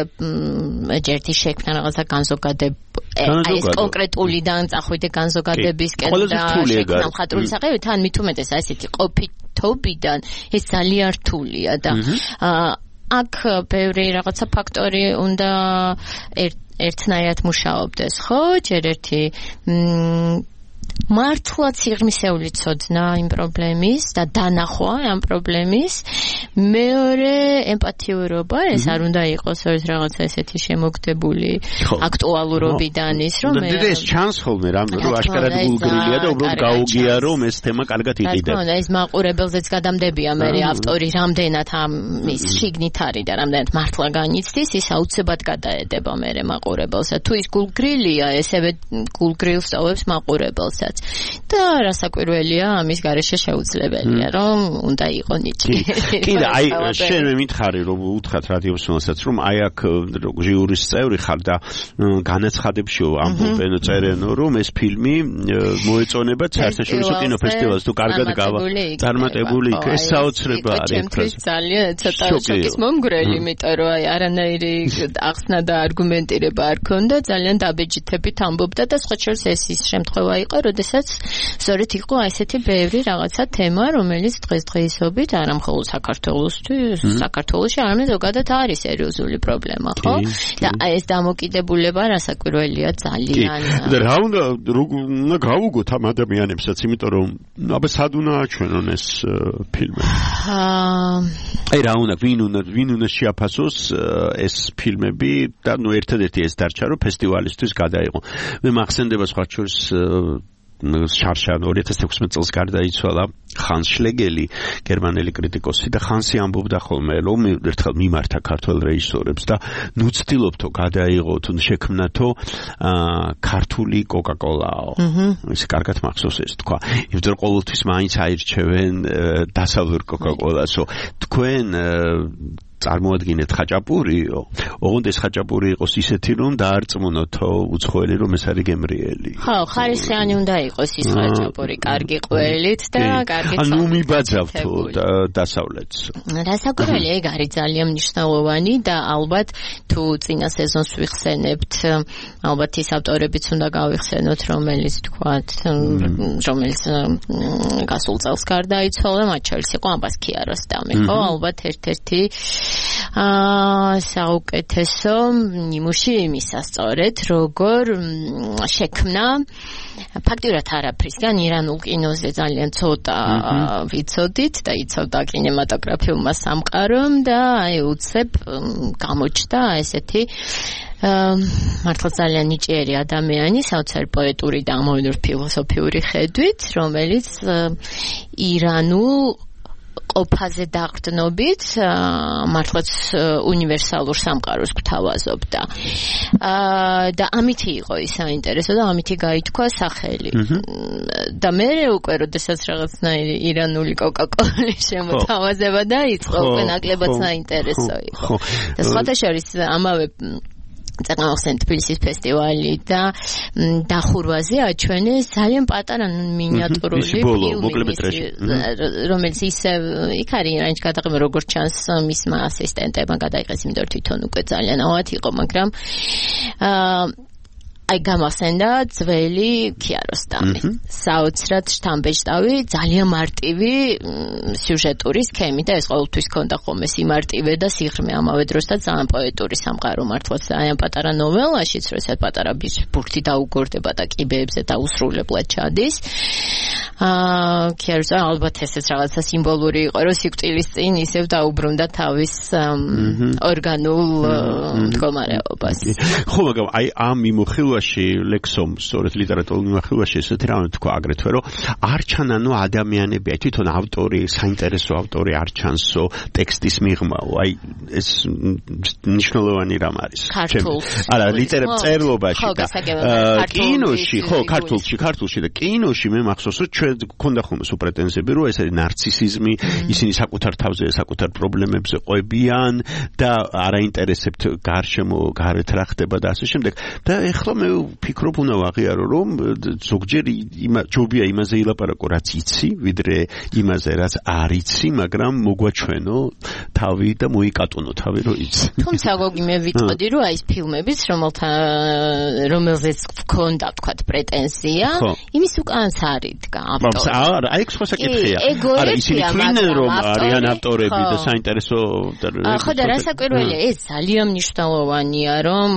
Speaker 9: ჯერთი შექმნა რაღაცა განზოგადებული ეს კონკრეტულიდან წახვიდე განზოგადებისკენ და შექმნა მხატვრული საყევი, თან მithumetes ასეთი ყოფითობიდან ეს ძალიან რთულია და აქ ბევრი რაღაცა ფაქტორი უნდა ერთნაირად მუშაობდეს, ხო? ჯერ ერთი მართლა სიღრმისეული ცოდნა იმ პრობლემის და დანახვა ამ პრობლემის, მეორე ემპათიურობა, ეს არ უნდა იყოს ერთ რაღაცა ესეთი შემოგდებული აქტუალურობიდან ის რომ მე
Speaker 3: და ეს ჩანს ხოლმე რამ რომ აშკარად გულგრილია და უბრალოდ გაუგია რომ ეს თემა კარგად იყიდება.
Speaker 9: და ეს მაყურებელზეც გადამდებია მე ავტორი რამდენად ამის შიგნით არის და რამდენად მართლა განიცდის, ის აუცილებლად გადაედება მე მაყურებელს. თუ ის გულგრილია, ესევე გულგრილს ტოვებს მაყურებელს. და რასაკვირველია ამის გარეშე შეუძლებელია რომ უნდა იყო ნიჭი.
Speaker 3: კი და აი შენ მე მითხარი რომ უთხრათ რადიოსმენსაც რომ აი აქ ჟიურის წევრი ხარ და განაცხადებშიო ამბობენ წერენ რომ ეს ფილმი მოეწონება საერთაშორისო კინოფესტივალს თუ კარგად გავა წარმატებული იქ ეს საოცრება არის.
Speaker 9: ძალიან ცოტა შოკის მომგვრელი, იმიტომ რომ აი არანაირი ახსნა და არგუმენტირება არ ქონდა, ძალიან დაბეჯითებით ამბობდა და სხვა შორის ეს ის შემთხვევა იყო, როდესაც სწორედ იყო ესეთი ბევრი რაღაცა თემა, რომელიც დღესდღეობით არა მხოლოდ საქართველოსთვის, საქართველოში, არამედ ზოგადად არის სერიოზული პრობლემა, ხო? და ეს დამოკიდებულება რასაკვირველია ძალიან.
Speaker 3: და რა უნდა უნდა გავუგოთ ამ ადამიანებსაც, იმიტომ რომ აბა სად უნდა აჩვენონ ეს ფილმი? აი რა უნდა ვინ უნდა ვინ უნდა შეაფასოს ეს ფილმები და ნუ ერთადერთი ეს დარჩა რომ ფესტივალისთვის გადაიღო. მე მახსენდება სხვა შორის შარშან ორი ათას ექვსმეტ წელს გარდაიცვალა ხანს შლეგელი, გერმანელი კრიტიკოსი და ხანსი ამბობდა ხოლმე რომ ერთხელ მიმართა ქართველ რეჟისორებს და ნუ ცდილობთო გადაიღოთ, შექმნათო ქართული კოკა-კოლაო. ეს კარგად მახსოვს ეს თქვა. იმიტომ რომ ყოველთვის მაინც აირჩევენ დასავლურ კოკა-კოლასო. თქვენ წარმოადგენთ ხაჭაპურიო, ოღონდ ეს ხაჭაპური იყოს ისეთი, რომ დაარწმუნოთო უცხოელი, რომ ეს არის გემრიელი.
Speaker 9: ხო, ხარისხიანი უნდა იყოს ის ხაჭაპური, კარგი ყველით და კარგი
Speaker 3: ანუ მიბაძავთო დასავლეთს.
Speaker 9: რასაკვირველია, ეგ არის ძალიან მნიშვნელოვანი და ალბათ თუ წინა სეზონს ვიხსენებთ, ალბათ ის ავტორებიც უნდა გავიხსენოთ, რომელიც თქვათ, რომელიც გასულ წელს გარდაიცვალა, მათ შორის იყო ამბას ქიაროსტამი, ხო, ალბათ ერთ-ერთი აა საუკეთესო ნიმუში იმისა სწორედ, როგორ შექმნა ფაქტიურად არაფრისგან ირანულ კინოზე ძალიან ცოტა ვიცოდით და იცავდა კინემატოგრაფიულმა სამყარომ და აი უცებ გამოჩნდა ესეთი მართლა ძალიან ნიჭიერი ადამიანი, საოცარ პოეტური და ამოვნური ფილოსოფიური ხედვით, რომელიც ირანულ ყოფაზე დაყრდნობით მართლაც უნივერსალურ სამყაროს გვთავაზობდა. და ამითი იყო ის საინტერესო და ამითი გაითქვა სახელი. და მე უკვე როდესაც რაღაცნაირი ირანული კოკა-კოლის შემოთავაზება დაიწყო, უკვე ნაკლებად საინტერესო იყო. და სხვათა შორის ამავე წეგნახსენ თბილისის ფესტივალი და დახურვაზე აჩვენეს ძალიან პატარა მინიატურული ფილმი, რომელიც ისე იქ არის რაინც გადაღება როგორც ჩანს მისმა ასისტენტებმა გადაიღეს, იმიტომ რომ თვითონ უკვე ძალიან ავად იყო, მაგრამ აი გამახსენდა ძველი ქიაროსტამი. საოცრად შთამბეჭდავი, ძალიან მარტივი სიუჟეტური სქემი და ეს ყოველთვის ქონდა ხოლმე სიმარტივე და სიღრმე ამავე დროს და ძალიან პოეტური სამყარო მართლაც ძალიან პატარა ნოველაშიც, რომ ესეთ პატარა ბურთი დაუგორდება და კიბეებზე დაუსრულებლად ჩადის. აა ქიაროსტამი ალბათ ესეც რაღაცა სიმბოლური იყო, რომ სიკვდილის წინ ისევ დაუბრუნდა თავის ორგანულ მდგომარეობას.
Speaker 3: ხო, მაგრამ აი ამ მიმოხილვა ლექსომ სწორედ ლიტერატურულ მიმოხილვაში ესეთი რამე თქვა აგრეთვე რომ არ ჩანანო ადამიანები, თვითონ ავტორი, საინტერესო ავტორი არ ჩანსო ტექსტის მიღმაო, აი ეს მნიშვნელოვანი რამ არის. არა, ლიტერატურის წერლობაში და კინოში, ხო, ქართულში, ქართულში და კინოში მე მახსოვს რომ ჩვენ გქონდა ხოლმე სულ პრეტენზიები რომ ეს არის ნარცისიზმი, ისინი საკუთარ თავზე, საკუთარ პრობლემებზე ყვებიან და არაინტერესებთ გარშემო გარეთ რა ხდება და ასე შემდეგ. და ეხლა მე ვფიქრობ უნდა ვაღიარო რომ ზოგჯერ ჯობია იმაზე ილაპარაკო რაც იცი, ვიდრე იმაზე რაც არ იცი, მაგრამ მოგვაჩვენო თავი და მოიკატონო თავი რომ იცი.
Speaker 9: თუმცა გოგი მე ვიტყოდი რომ აი ეს ფილმებიც რომელთა რომელზეც გქონდა თქვა პრეტენზია, იმის უკანაც არიდგა ავტორი.
Speaker 3: არა, აი ეს სხვა საკითხია. არა, ისინი თვლიან რომ არიან ავტორები და საინტერესო
Speaker 9: ხო და რასაკვირველია, ეს ძალიან მნიშვნელოვანია რომ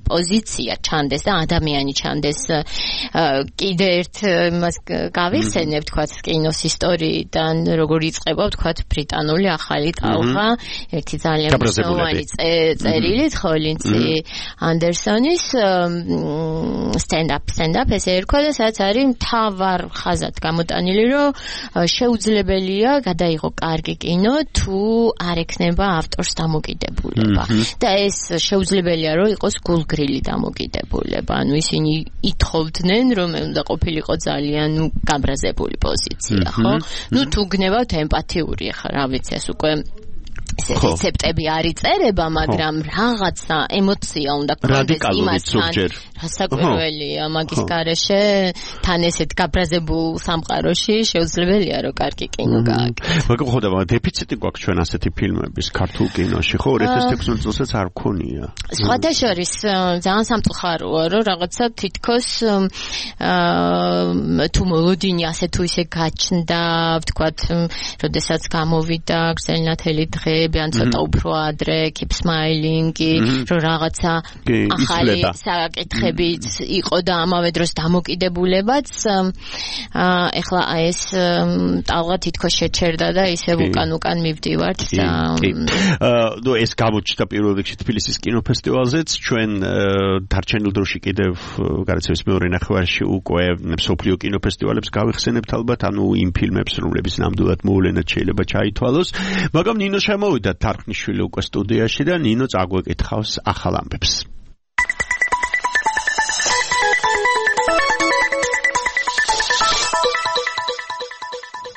Speaker 9: პოზიცია ჩანდეს და ადამიანი ჩანდეს. კიდე ერთ იმას გავიხსენებ, თქვათ კინოს ისტორიიდან, როგორ იწყება, თქვათ ბრიტანული ახალი ტალღა, ერთი ძალიან მნიშვნელოვანი წერილი, ხოლინცი ანდერსონის stand-up, stand-up ესე ერქვა და სადაც არის მთავარ ხაზად გამოტანილი, რომ შეუძლებელია გადაიღო კარგი კინო, თუ არ ექნება ავტორს დამოკიდებულება. და ეს შეუძლებელია, რომ იყოს გულგრილი გრილი დამოკიდებულება, ანუ ისინი ითხოვდნენ, რომ უნდა ყოფილიყო ძალიან ნუ გაბრაზებული პოზიცია, ხო? ნუ თუ გნებავთ ემპათიური, ხა რა ვიცი, ეს უკვე ეს რეცეპტები არ იწერება, მაგრამ რაღაცა ემოცია უნდა გქონდეს იმასთან. რასაკვირველია, მაგის გარეშე თან ესეთ გაბრაზებულ სამყაროში შეუძლებელია რომ კარგი კინო გააკეთოს.
Speaker 3: მაგრამ ხო და დეფიციტი გვაქვს ჩვენ ასეთი ფილმების ქართულ კინოში, ხო? ორი ათას თექვსმეტ წელსაც არ ქონია.
Speaker 9: სხვათა შორის ძალიან სამწუხაროა, რომ რაღაცა თითქოს თუ მოლოდინი ასე თუ ისე გაჩნდა, ვთქვათ, როდესაც გამოვიდა გრძელნათელი დღე ან ცოტა უფრო ადრე keep smiling-ი, რომ რაღაცა ახალი საკითხებიც იყო და ამავე დროს დამოკიდებულებაც. ეხლა ეს ტალღა თითქოს შეჩერდა და ისევ უკან-უკან მივდივართ და
Speaker 3: ნუ ეს გამოჩნდა პირველ რიგში თბილისის კინოფესტივალზეც, ჩვენ დარჩენილ დროში კიდევ გარაცევის მეორე ნახევარში უკვე მსოფლიო კინოფესტივალებს გავიხსენებთ ალბათ, ანუ იმ ფილმებს, რომლებიც ნამდვილად მოვლენად შეიძლება ჩაითვალოს, მაგრამ ნინო შემოვიდა თარხნიშვილი უკვე სტუდიაში და ნინო წაგვეკითხავს ახალ ამბებს.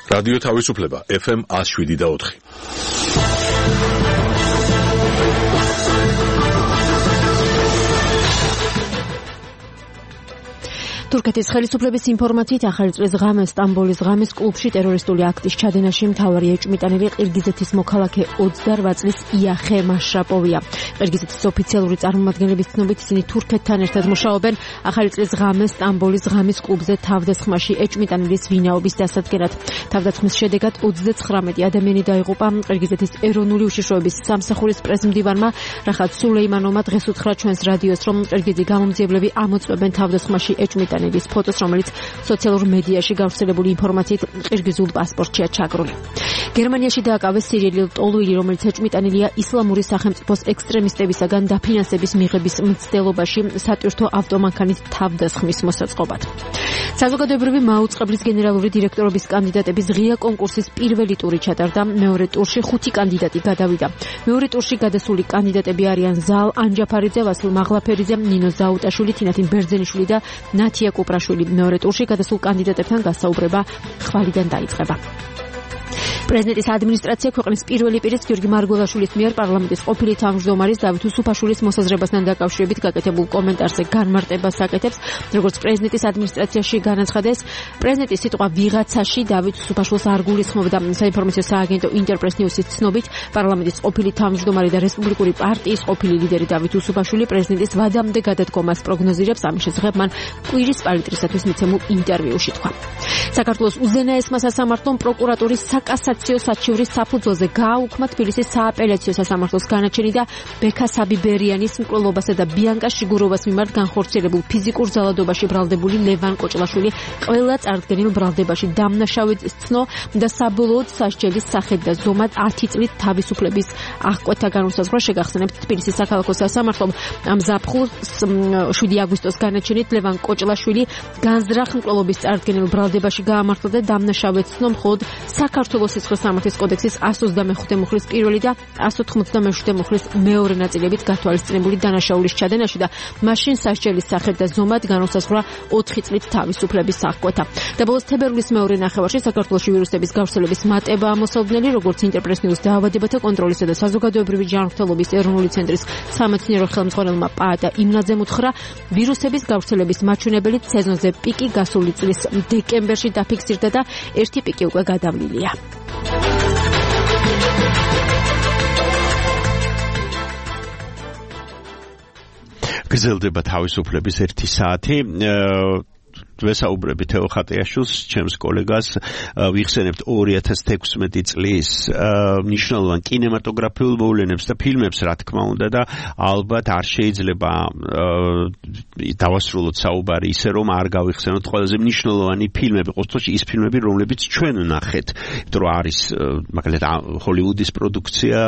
Speaker 1: რადიო თავისუფლება ეფ ემ one oh seven და four.
Speaker 10: თურქეთის ხელისუფლების ინფორმაციით ახალი წლის ღამეს სტამბოლის ღამის კლუბში ტერორისტული აქტის ჩადენაში მთავარი ეჭვმიტანილი ყირგიზეთის მოქალაქე ოცდაოთხ წლის იახე მაშრაპოვია. ყირგიზეთის ოფიციალური წარმომადგენლების ცნობით ისინი თურქეთთან ერთად მუშაობენ ახალი წლის ღამეს სტამბოლის ღამის კლუბზე თავდასხმაში ეჭვმიტანილის ვინაობის დასადგენად. თავდასხმის შედეგად ოცდაცხრამეტი ადამიანი დაიღუპა. ყირგიზეთის ეროვნული უშიშროების სამსახურის პრეზიდენტმა რახატ სულეიმანოვმა დღეს უთხრა ჩვენს რადიოს, რომ ყირგიზი გამომძიებლები ამოწმებენ თავდასხმაში ეჭვმიტანილის ფოტოს, რომელიც სოციალურ მედიაში გავრცელებული ინფორმაციით ყირგიზულ პასპორტშია ჩაგრული. გერმანიაში დააკავეს სირიელი ტოლუილი, რომელიც ეჭვმიტანილია ისლამური სახელმწიფოს ექსტრემისტებისაგან დაფინანსების მიღების მცდელობაში სატვირთო ავტომანქანის თავდასხმის მოსაწყობად. საზოგადოებრივი მაუწყებლის გენერალური დირექტორობის კანდიდატების ღია კონკურსის პირველი ტური ჩატარდა. მეორე ტურში ხუთი კანდიდატი გადავიდა. მეორე ტურში გადასული კანდიდატები არიან ზალ ანჯაფარიძე, ვასილ მაღლაფერიძე, ნინო ზაუტაშვილი, თინათინ ბერძენიშვილი და ნათია კუპრაშვილი. მეორე ტურში გადასულ კანდიდატებთან გასაუბრება ხვალიდან დაიწყება. პრეზიდენტის ადმინისტრაცია ქვეყნის პირველი პირის გიორგი მარგველაშვილის მიერ პარლამენტის ყოფილი თავმჯდომარის დავით უსუფაშვილის მოსაზრებასთან დაკავშირებით გაკეთებულ კომენტარზე განმარტებას აკეთებს. როგორც პრეზიდენტის ადმინისტრაციაში განაცხადეს, პრეზიდენტის სიტყვა ვიღაცაში დავით უსუფაშვილს არ გულისხმობდა. საინფორმაციო სააგენტო ინტერპრეს ნიუსის ცნობით, პარლამენტის ყოფილი თავმჯდომარე და რესპუბლიკური პარტიის ყოფილი ლიდერი დავით უსუფაშვილი პრეზიდენტის ვადამდე გადადგომას პროგნოზირებს. ამის შესახებ მან კვირის პალიტრისათვის მიცემულ ინტერვიუში თქვა. საქართველოს უზენაესმა სასამართლომ პროკურატურის საკასაციო საჩივრის საფუძველზე გააუქმა თბილისის სააპელაციო სასამართლოს განაჩენი და ბექა საბიბერიანის მკვლელობასა და ბიანკა შიგუროვას მიმართ განხორციელებულ ფიზიკურ ძალადობაში ბრალდებული ლევან კოჭლაშვილი ყველა წარდგენილ ბრალდებაში დამნაშავედ ცნო და საბოლოოდ სასჯელის სახედ და ზომად ათი წლით თავისუფლების აღკვეთა განუსაზღვრა. შეგახსენებთ, თბილისის საქალაქო სასამართლომ ამ ზაფხულს შვიდი აგვისტოს განაჩენით ლევან კოჭლაშვილი განზრახ მკვლელობის წარდგენილ ბრალდებაში გაამართლა და დამნაშავედ ცნო მხოლოდ საქართველოს სიცხეს სამართლის კოდექსის εκατს ოცდამეხუთე მუხლის პირველი და εκατს ოთხმოცდამეშვიდე მუხლის მეორე ნაწილებით გათვალისწინებული დანაშაულის ჩადენაში და მაშინ სასჯელის სახედ და ზომად განუსაზღვრა ოთხი წლით თავისუფლების აღკვეთა. და ბოლოს თებერვლის მეორე ნახევარში საქართველოში ვირუსების გავრცელების მატება ამოსალოდნელი, როგორც ინტერპრეს ნიუს დაავადებათა კონტროლისა და საზოგადოებრივი ჯანმრთელობის ეროვნული ცენტრის სამეცნიერო ხელმძღვანელმა პაატა იმნაძემ უთხრა, ვირუსების გავრცელების მაჩვენებელი სეზონზე პიკი გასული წლის დეკემბერში დაფიქსირდა და ერთი პიკი უკვე გადავლილია.
Speaker 3: გრძელდება თავისუფლების ერთი საათი. ვესაუბრები თეო ხატიაშვილს, ჩემს კოლეგას, ვიხსენებთ ორი ათას თექვსმეტი წლის მნიშვნელოვან კინემატოგრაფიულ მოვლენებს და ფილმებს, რა თქმა უნდა, და ალბათ არ შეიძლება დავასრულოთ საუბარი ისე, რომ არ გავიხსენოთ ყველაზე მნიშვნელოვანი ფილმები, ყოველთვის ის ფილმები, რომლებიც ჩვენ ვნახეთ, იმიტომ რომ არის მაგალითად ჰოლივუდის პროდუქცია,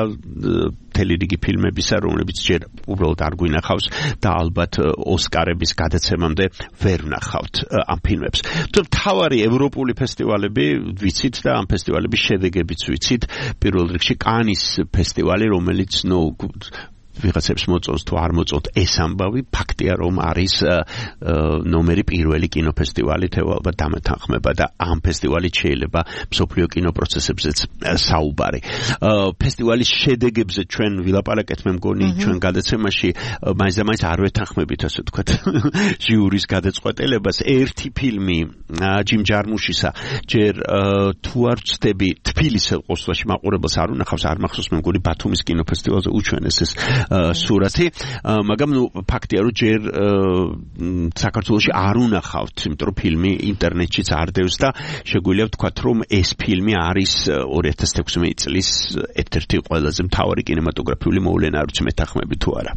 Speaker 3: მთელი რიგი ფილმებისა, რომლებიც ჯერ უბრალოდ არ გვინახავს და ალბათ ოსკარების გადაცემამდე ვერ ვნახავთ ამ ფილმებს. თავარი ევროპული ფესტივალები ვიცით და ამ ფესტივალების შედეგებიც ვიცით. პირველ რიგში კანის ფესტივალი, რომელიც ნუ ვიღაცებს მოწონს თუ არ მოწონთ ეს ამბავი, ფაქტია რომ არის ნომერი პირველი კინოფესტივალი თეო ალბათ დამეთანხმება და ამ ფესტივალით შეიძლება მსოფლიო კინოპროცესებზეც საუბარი. ფესტივალის შედეგებზე ჩვენ ვილაპარაკეთ, მე მგონი ჩვენ გადაცემაში მაინც და მაინც არ ვეთანხმებით, ასე ვთქვათ, ჟიურის გადაწყვეტილებას. ერთი ფილმი ჯიმ ჯარმუშისა, ჯერ თუ არ ვცდები თბილისელ ყოველთვის მაყურებელს არ უნახავს, არ მახსოვს, მე მგონი ბათუმის კინოფესტივალზე უჩვენეს ეს სურათი, მაგრამ ნუ ფაქტია რომ ჯერ საქართველოში არ უნახავთ, იმიტომ რომ ფილმი ინტერნეტშიც არ დევს და შეგვიძლია ვთქვათ რომ ეს ფილმი არის ორი ათას თექვსმეტი წლის ერთ-ერთი ყველაზე მთავარი კინემატოგრაფიული მოვლენა, არ ვიცი მეთანხმები თუ არა.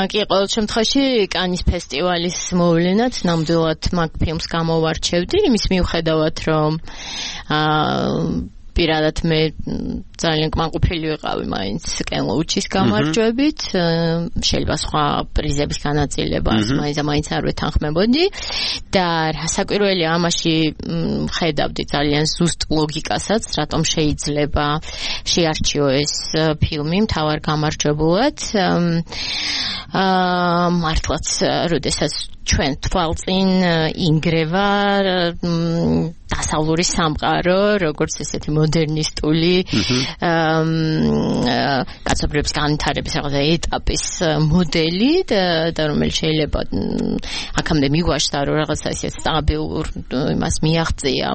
Speaker 9: კი, ყოველ შემთხვევაში კანის ფესტივალის მოვლენად ნამდვილად მაგ ფილმს გამოვარჩევდი, იმის მიუხედავად რომ პირადად მე ძალიან კმაყოფილი ვიყავი მაინც კენ ლოუჩის გამარჯვებით, შეიძლება სხვა პრიზების განაწილებას მაინც და მაინც არ ვეთანხმებოდი და საკვირველი ამაში ხედავდი ძალიან ზუსტ ლოგიკასაც, რატომ შეიძლება შეარჩიო ეს ფილმი მთავარ გამარჯვებულად. აა მართლაც როდესაც ჩვენ თვალწინ ინგრევა დასავლური სამყარო, როგორც ესეთი მოდერნისტული კაცობრიობის განვითარების რაღაცა ეტაპის მოდელი და რომელიც შეიძლება აქამდე მიგვაშთა რომ რაღაცა ისეთ სტაბილურ იმას მიაღწია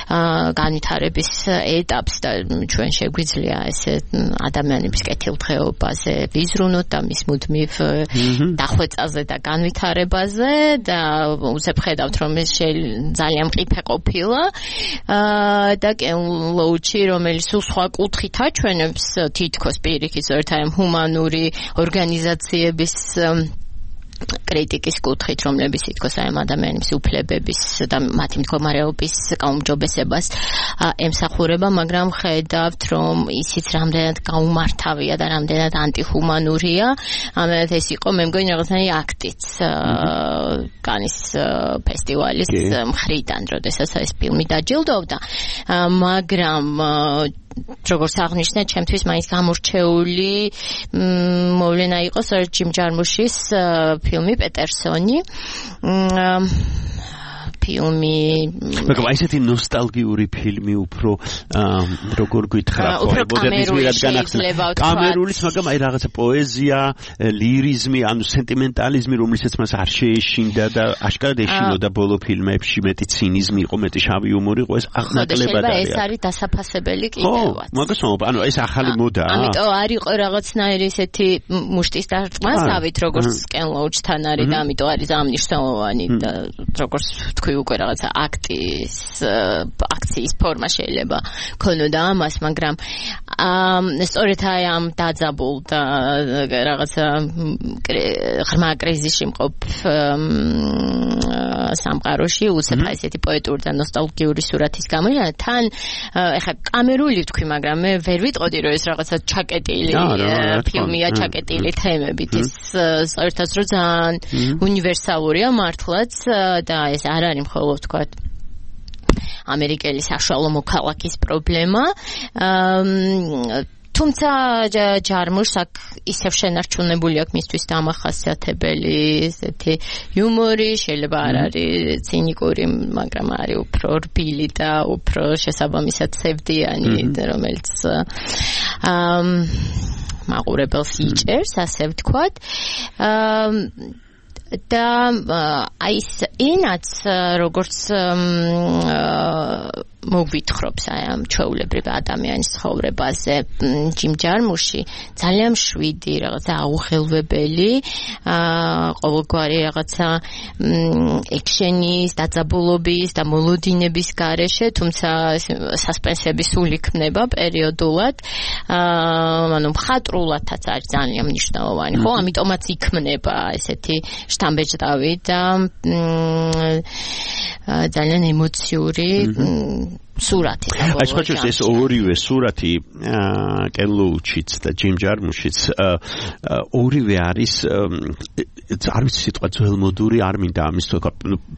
Speaker 9: განვითარების ეტაპს და ჩვენ შეგვიძლია ესე ადამიანების კეთილდღეობაზე ვიზრუნოთ და მის მუდმივ დახვეწაზე და განვითარებაზე და უცებ ხედავთ რომ ეს ძალიან მყიფე ყოფილა და კენლოუჩი რომელიც სულ სხვა კუთხით აჩვენებს თითქოს პირიქით ერთ აი ჰუმანური ორგანიზაციების კრიტიკის კუთხით, რომლებიც თითქოს აი ადამიანების უფლებების და მათი მდგომარეობის გაუმჯობესებას ემსახურება, მაგრამ ხედავთ, რომ ისიც რამდენად გაუმართავია და რამდენად ანტიჰუმანურია, ამათ ეს იყო მე მგონი რაღაცნაირი აქტიც კანის ფესტივალის მხრიდან, როდესაც ეს ფილმი დაჯილდოვდა, მაგრამ როგორც აღნიშნეთ, ჩემთვის მაინც გამორჩეული მოვლენა იყო სწორედ ჯიმ ჯარმუშის ფილმი პეტერსონი. ფილმი
Speaker 3: მაგრამ აი ესეთი ნოსტალგიური ფილმი უფრო როგორ გითხრა
Speaker 9: ხო მოდერნიზმის განახსნა
Speaker 3: კამერულის მაგრამ აი რაღაცა პოეზია ლირიზმი ანუ სენტიმენტალიზმი რომელსაც მას არ შეეშინდა და აშკარად ეშინოდა ბოლო ფილმებში მეტი ცინიზმი იყო მეტი შავი იუმორი იყო ეს აღნაკლებად
Speaker 9: არის ეს არის დასაფასებელი კიდევაც
Speaker 3: მაგასმოა ანუ ეს ახალი მოდაა
Speaker 9: ამიტომ არ იყო რაღაცნაირი ესეთი მუშტის დარტყმასავით როგორც კენლოუჩთან არის და ამიტომ არის ამნიშნულოვანი და როგორც თქვი უკვე რაღაცა აქტის აქციის ფორმა შეიძლება ქონოდა ამას, მაგრამ სწორედ აი ამ დაძაბულ და რაღაცა ღრმა კრიზისში მყოფ სამყაროში უცებ ესეთი პოეტური და ნოსტალგიური სურათის გამოიყენა თან ეხლა კამერული თქვი, მაგრამ მე ვერ ვიტყოდი რომ ეს რაღაცა ჩაკეტილი ფილმია, ჩაკეტილი თემებით ის საერთოდ რომ ძალიან უნივერსალურია მართლაც და ეს არ არის მხოლოდ თქვათ ამერიკელი საშუალო მოქალაქის პრობლემა თუმცა ჯარმუშს აქ ისევ შენარჩუნებული აქვს მისთვის დამახასიათებელი ესეთი იუმორი, შეიძლება არ არის ცინიკური, მაგრამ არის უფრო რბილი და უფრო შესაბამისად სევდიანი, რომელიც მაყურებელს იჭერს, ასე ვთქვათ. და აი ეს ენაც როგორც მოგვითხრობს აი ამ ჩვეულებრივ ადამიანის ცხოვრებაზე ჯიმ ჯარმუში ძალიან შვიდი რაღაცა აუხელვებელი ყოველგვარი რაღაცა ექშენის დაძაბულობის და მოლოდინების გარეშე თუმცა სასპენსების სული ქმნება პერიოდულად ანუ მხატრულადაც არის ძალიან მნიშვნელოვანი ხო ამიტომაც იქმნება ესეთი შთამბეჭდავი და ძალიან ემოციური სურათი.
Speaker 3: აი სხვაჩვენს ეს ორივე სურათი კენლოუჩიც და ჯიმ ჯარმუშიც ორივე არის არ ვიცი სიტყვა ძველმოდური არ მინდა ამის თქვა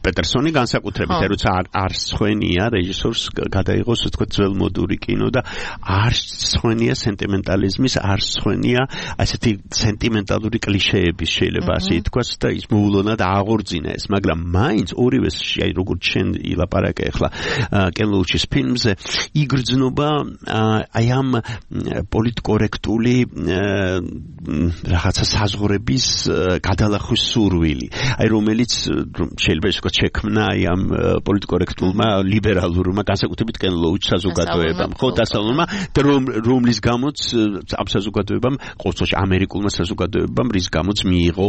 Speaker 3: პეტერსონი განსაკუთრებით როცა არ სვენია რეჟისორს გადაიღოს თქვა ძველმოდური კინო და არ სვენია სენტიმენტალიზმის არ სვენია ასეთი სენტიმენტალური კლიშეების შეიძლება ასე ითქვას და ის მოულოდნელად აღორძინა ეს მაგრამ მაინც ორივეს აი როგორც შენ ილაპარაკე ახლა კენლოუჩის ფილმზე იგრძნობა აი ამ პოლიტკორექტული რაღაცა საზღვრების გადალახვის სურვილი აი რომელიც შეიძლება ისე ვთქვათ შექმნა აი ამ პოლიტკორექტულმა ლიბერალურმა განსაკუთრებით კენლოუჩ საზოგადოებამ ხო დასავლურმა და რომლის გამოც ამ საზოგადოებამ ყოველთვის ამერიკულმა საზოგადოებამ რის გამოც მიიღო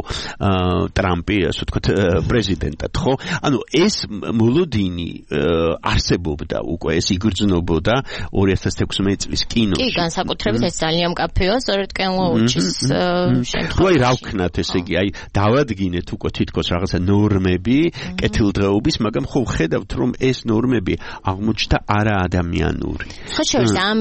Speaker 3: ტრამპი ასე ვთქვათ პრეზიდენტად ხო ანუ ეს მოლოდინი არსებობდა უკვე ეს იგრძნობოდა ორი ათას თექვსმეტ წლის კინოში.
Speaker 9: კი, განსაკუთრებით ეს ძალიან მკაფიოა, სწორედ კენლოუჩის შემთხვევაში.
Speaker 3: აი რა ვქნათ, ესე იგი, აი დავადგინეთ უკვე თითქოს რაღაცა ნორმები, კეთილდღეობის, მაგრამ ხო ხედავთ, რომ ეს ნორმები აღმოჩნდა არაადამიანური.
Speaker 9: ხო შევს ამ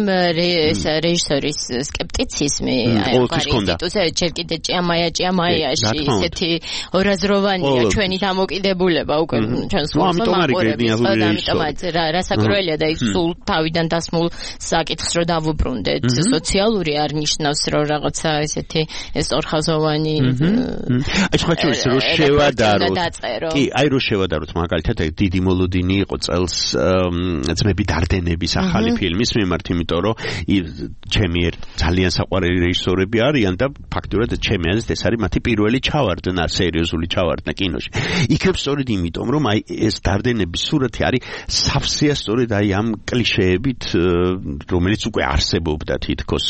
Speaker 9: რეჟისორის სკეპტიციზმი, აი ყარიტუზე ჯერ კიდე ჭიამაია ჭიამაიაში ისეთი ორაზროვანია ჩვენი დამოკიდებულება უკვე ჩვენს ხომ ამიტომ არის
Speaker 3: გენიალური რეჟისორი.
Speaker 9: რასაკვირველია მართალია და ის სულ თავიდან დასმულ საკითხს რო დავუბრუნდეთ სოციალური არ ნიშნავს რომ რაღაცა ესეთი სწორხაზოვანი
Speaker 3: აი სხვა შორის რო შევადაროთ კი აი რო შევადაროთ მაგალითად დიდი მოლოდინი იყო წელს ძმები დარდენების ახალი ფილმის მიმართ იმიტომ რომ ჩემი ძალიან საყვარელი რეჟისორები არიან და ფაქტურად ჩემი აზრით ეს არის მათი პირველი ჩავარდნა სერიოზული ჩავარდნა კინოში იქნებ სწორედ იმიტომ რომ აი ეს დარდენების სურათი არის სავსეა სწორედ აი ამ კლიშეებით რომელიც უკვე არსებობდა თითქოს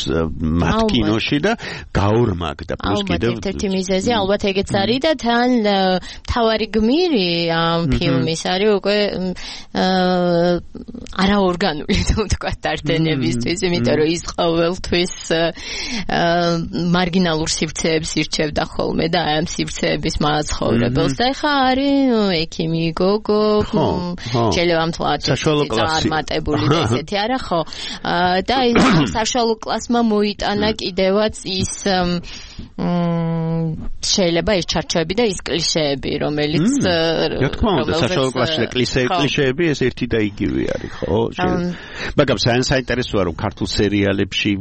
Speaker 3: მათ კინოში და გაორმაგდა პლუს კიდევ
Speaker 9: ერთ-ერთი მიზეზი ალბათ ეგეც არის და თან თავარი გმირი ამ ფილმის არის უკვე არაორგანული თუ თქვა დარდენებისთვის იმიტომ რომ ის ყოველთვის მარგინალურ სივრცეებს ირჩევდა ხოლმე და აი ამ სივრცეების მაცხოვრებელს და ეხა არის ექიმი გოგო შეიძლება მთლად წარმატებული და ესეთი არა ხო და ის საშუალო კლასმა მოიტანა კიდევაც ის შეიძლება ის ჩარჩოები და ის კლიშეები რომელიც
Speaker 3: რა თქმა უნდა საშუალო კლასში კლიშეები ეს ერთი და იგივე არის ხო მაგრამ საინტერესოა რომ ქართულ სერიალებში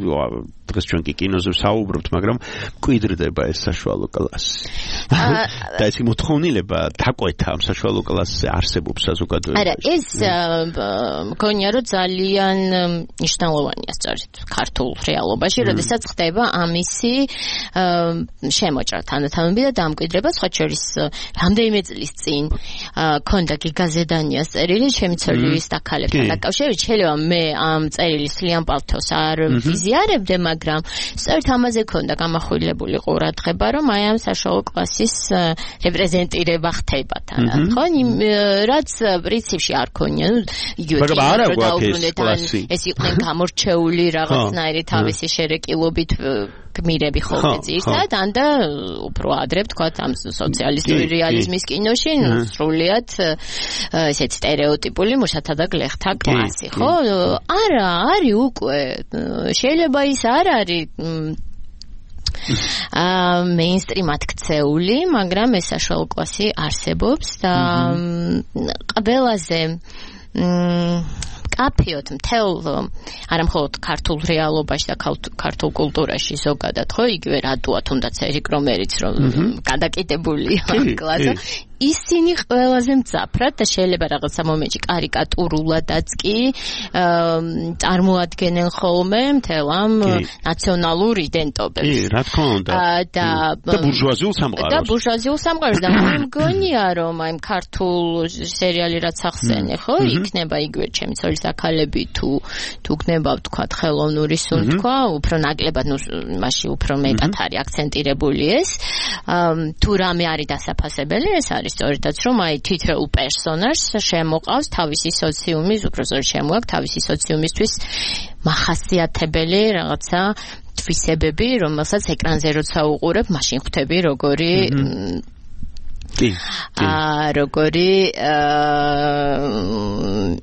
Speaker 3: დღეს ჩვენ კი კინოზე საუბრობთ მაგრამ კვიდრდება ეს საშუალო კლასი და ეს მოთხოვნილება დაკვეთა ამ საშუალო კლასზე არსებობს საზოგადოებაში
Speaker 9: არა ეს მგონია რომ ძალიან მნიშვნელოვანია სწორედ ქართულ რეალობაში როდესაც ხდება ამისი შემოჭრა თანდათანობით და დამკვიდრება სხვა შორის რამდენიმე წლის წინ ქონდა გიგაზედანიას წერილი ჩემი ცოლის და ქალებთან დაკავშირებით შეიძლება მე ამ წერილის სლიან პალთოს არ ვიზიარებდე მაგრამ სწორედ ამაზე ქონდა გამახვილებული ყურადღება რომ აი ამ საშუალო კლასის რეპრეზენტირება ხდება თან ხო რაც პრინციპში არ ქონია ნუ იგივე ეს იყვნენ გამორჩეული რაღაცნაირი თავისი შერეკილობით გმირები ხოლმე ძირითადად ან და უფრო ადრე ვთქვათ ამ სოციალისტური რეალიზმის კინოში სრულიად ესეთ სტერეოტიპული მუშათა და გლეხთა კლასი ხო არა არის უკვე შეიძლება ის არ არის აა მეინსტრიმად ქცეული მაგრამ ეს საშუალო კლასი არსებობს და ყველაზე კაფეოთ მთელ არა მხოლოდ ქართულ რეალობაში და ქართულ კულტურაში ზოგადად ხო იგივე რატოა თუნდაც ერიკ რომერიც რომ გადაკიდებულია კლასა ისინი ყველაზე მძაფრად და შეიძლება რაღაცა მომენტში კარიკატურულადაც კი წარმოადგენენ ხოლმე მთელ ამ ნაციონალურ იდენტობებს.
Speaker 3: კი, რა თქმა უნდა.
Speaker 9: და
Speaker 3: ბურჟუაზიულ სამყაროს.
Speaker 9: და ბურჟუაზიულ სამყაროს და მე მგონია რომ აი ქართულ სერიალი რაც ახსენე, ხო, იქნება იგივე ჩემი ცოლის აქალები თუ თუ გნება ვთქვათ ხელოვნური სუნთქვა, უფრო ნაკლებად ნუ მასში უფრო მეტად არის აქცენტირებული ეს. თუ რამე არის დასაფასებელი, ეს არის სწორედაც რომ აი თითოეულ პერსონაჟს შემოყავს თავისი სოციუმის, უფრო სწორედ შემოაქვს თავისი სოციუმისთვის მახასიათებელი რაღაცა თვისებები, რომელსაც ეკრანზე როცა უყურებ, მაშინ ხვდები როგორი
Speaker 3: კი
Speaker 9: აა როგორი აა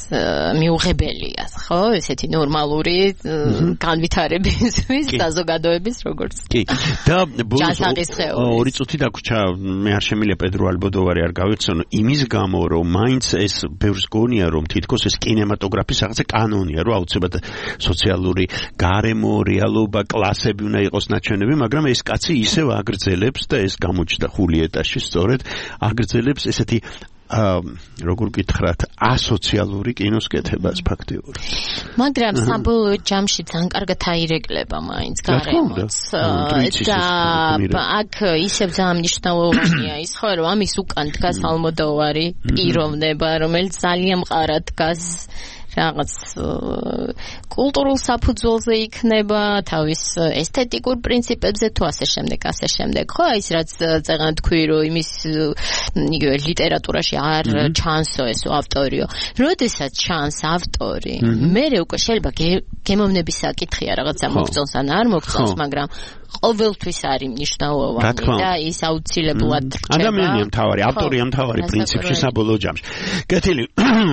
Speaker 9: მიუღებელია, ხო, ესეთი ნორმალური განვითარებისთვის საზოგადოების როგორც.
Speaker 3: კი. და ორი წუთი დაგვრჩა, მე არ შემიძლია პედრო ალბოდოვარი არ გავიხსენო, იმის გამო, რომ მაინც ეს ბევრს გონია, რომ თითქოს ეს კინემატოგრაფის რაღაცა კანონია, რომ აუცილებლად სოციალური გარემო, რეალობა, კლასები უნდა იყოს ნაჩვენები, მაგრამ ეს კაცი ისევ აგრძელებს და ეს გამოჩნდა ხულიეტაში, სწორედ აგრძელებს ესეთი აა როგორ გითხრათ ასოციალური კინოს კეთებას ფაქტიურად.
Speaker 9: მაგრამ საბოლოო ჯამში ძალიან კარგად აირეკლება მაინც გარემოც. და აქ ისევ ძალიან მნიშვნელოვანია ის ხო რომ ამის უკან დგას ალმოდოვარი პიროვნება რომელიც ძალიან მყარად დგას რაღაც კულტურულ საფუძველზე იქნება თავის ესთეტიკურ პრინციპებზე თუ ასე შემდეგ ასე შემდეგ ხო ის რაც წეგან თქვი რომ იმის იგივე ლიტერატურაში არ ჩანსო ესო ავტორიო როდესაც ჩანს ავტორი მე უკვე შეიძლება გემოვნების საკითხია რაღაცა მოგწონს ან არ მოგწონს მაგრამ ყოველთვის არის მნიშვნელოვანი და ის აუცილებლად რჩება
Speaker 3: ადამიანია მთავარი ავტორია მთავარი პრინციპში საბოლოო ჯამში კეთილი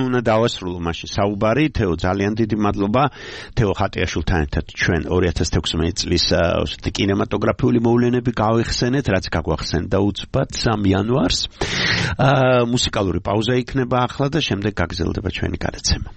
Speaker 3: უნდა დავასრულო მაშინ საუბარი თეო ძალიან დიდი მადლობა თეო ხატიაშვილთან ერთად ჩვენ ორი ათას თექვსმეტი წლის კინემატოგრაფიული მოვლენები გავიხსენეთ რაც გაგვახსენდა უცბად სამი იანვარს მუსიკალური პაუზა იქნება ახლა და შემდეგ გაგრძელდება ჩვენი გადაცემა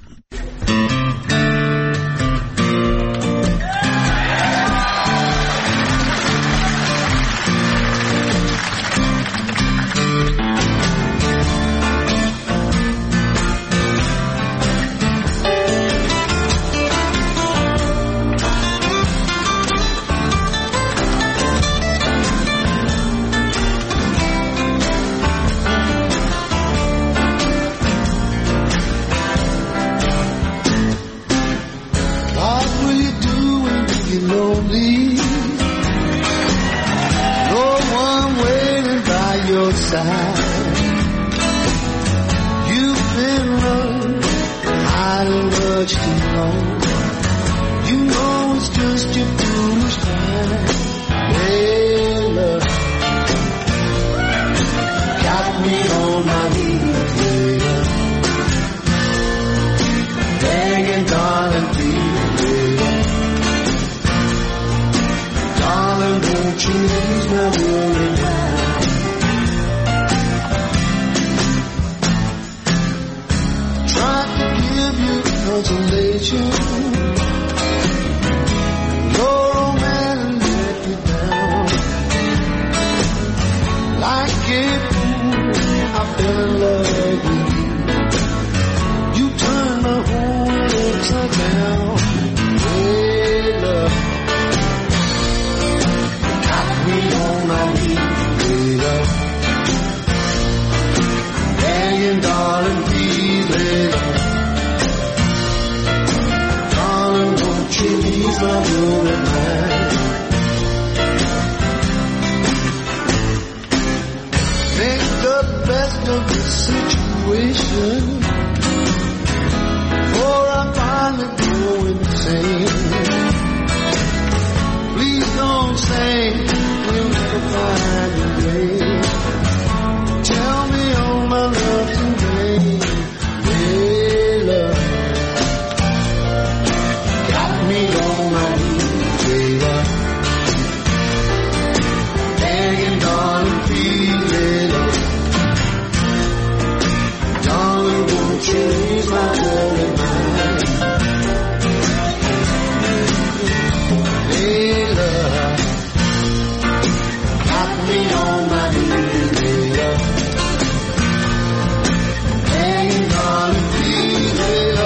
Speaker 11: side. You've been running hiding much too long. You know it's just your foolish pride. Hey, love, got me on my knees, baby, begging, darling, please, baby, darling, won't you ease my worry now? Tried to give you consolation. Your old man let you down. Like a fool, I fell in love with you. You turned my whole world upside down. Hey, love, got me on my knees, baby, begging, darling, please, baby, darling, won't you ease my worried mind? Make the best of the situation before I finally go insane. Please don't say we'll never find a way. Tell me all my love's in vain. Hey, love, got me on my knees, baby, begging, darling, please, baby, darling, won't you ease my worried mind? Hey, love, got me on my knees, baby, begging, darling, please, baby,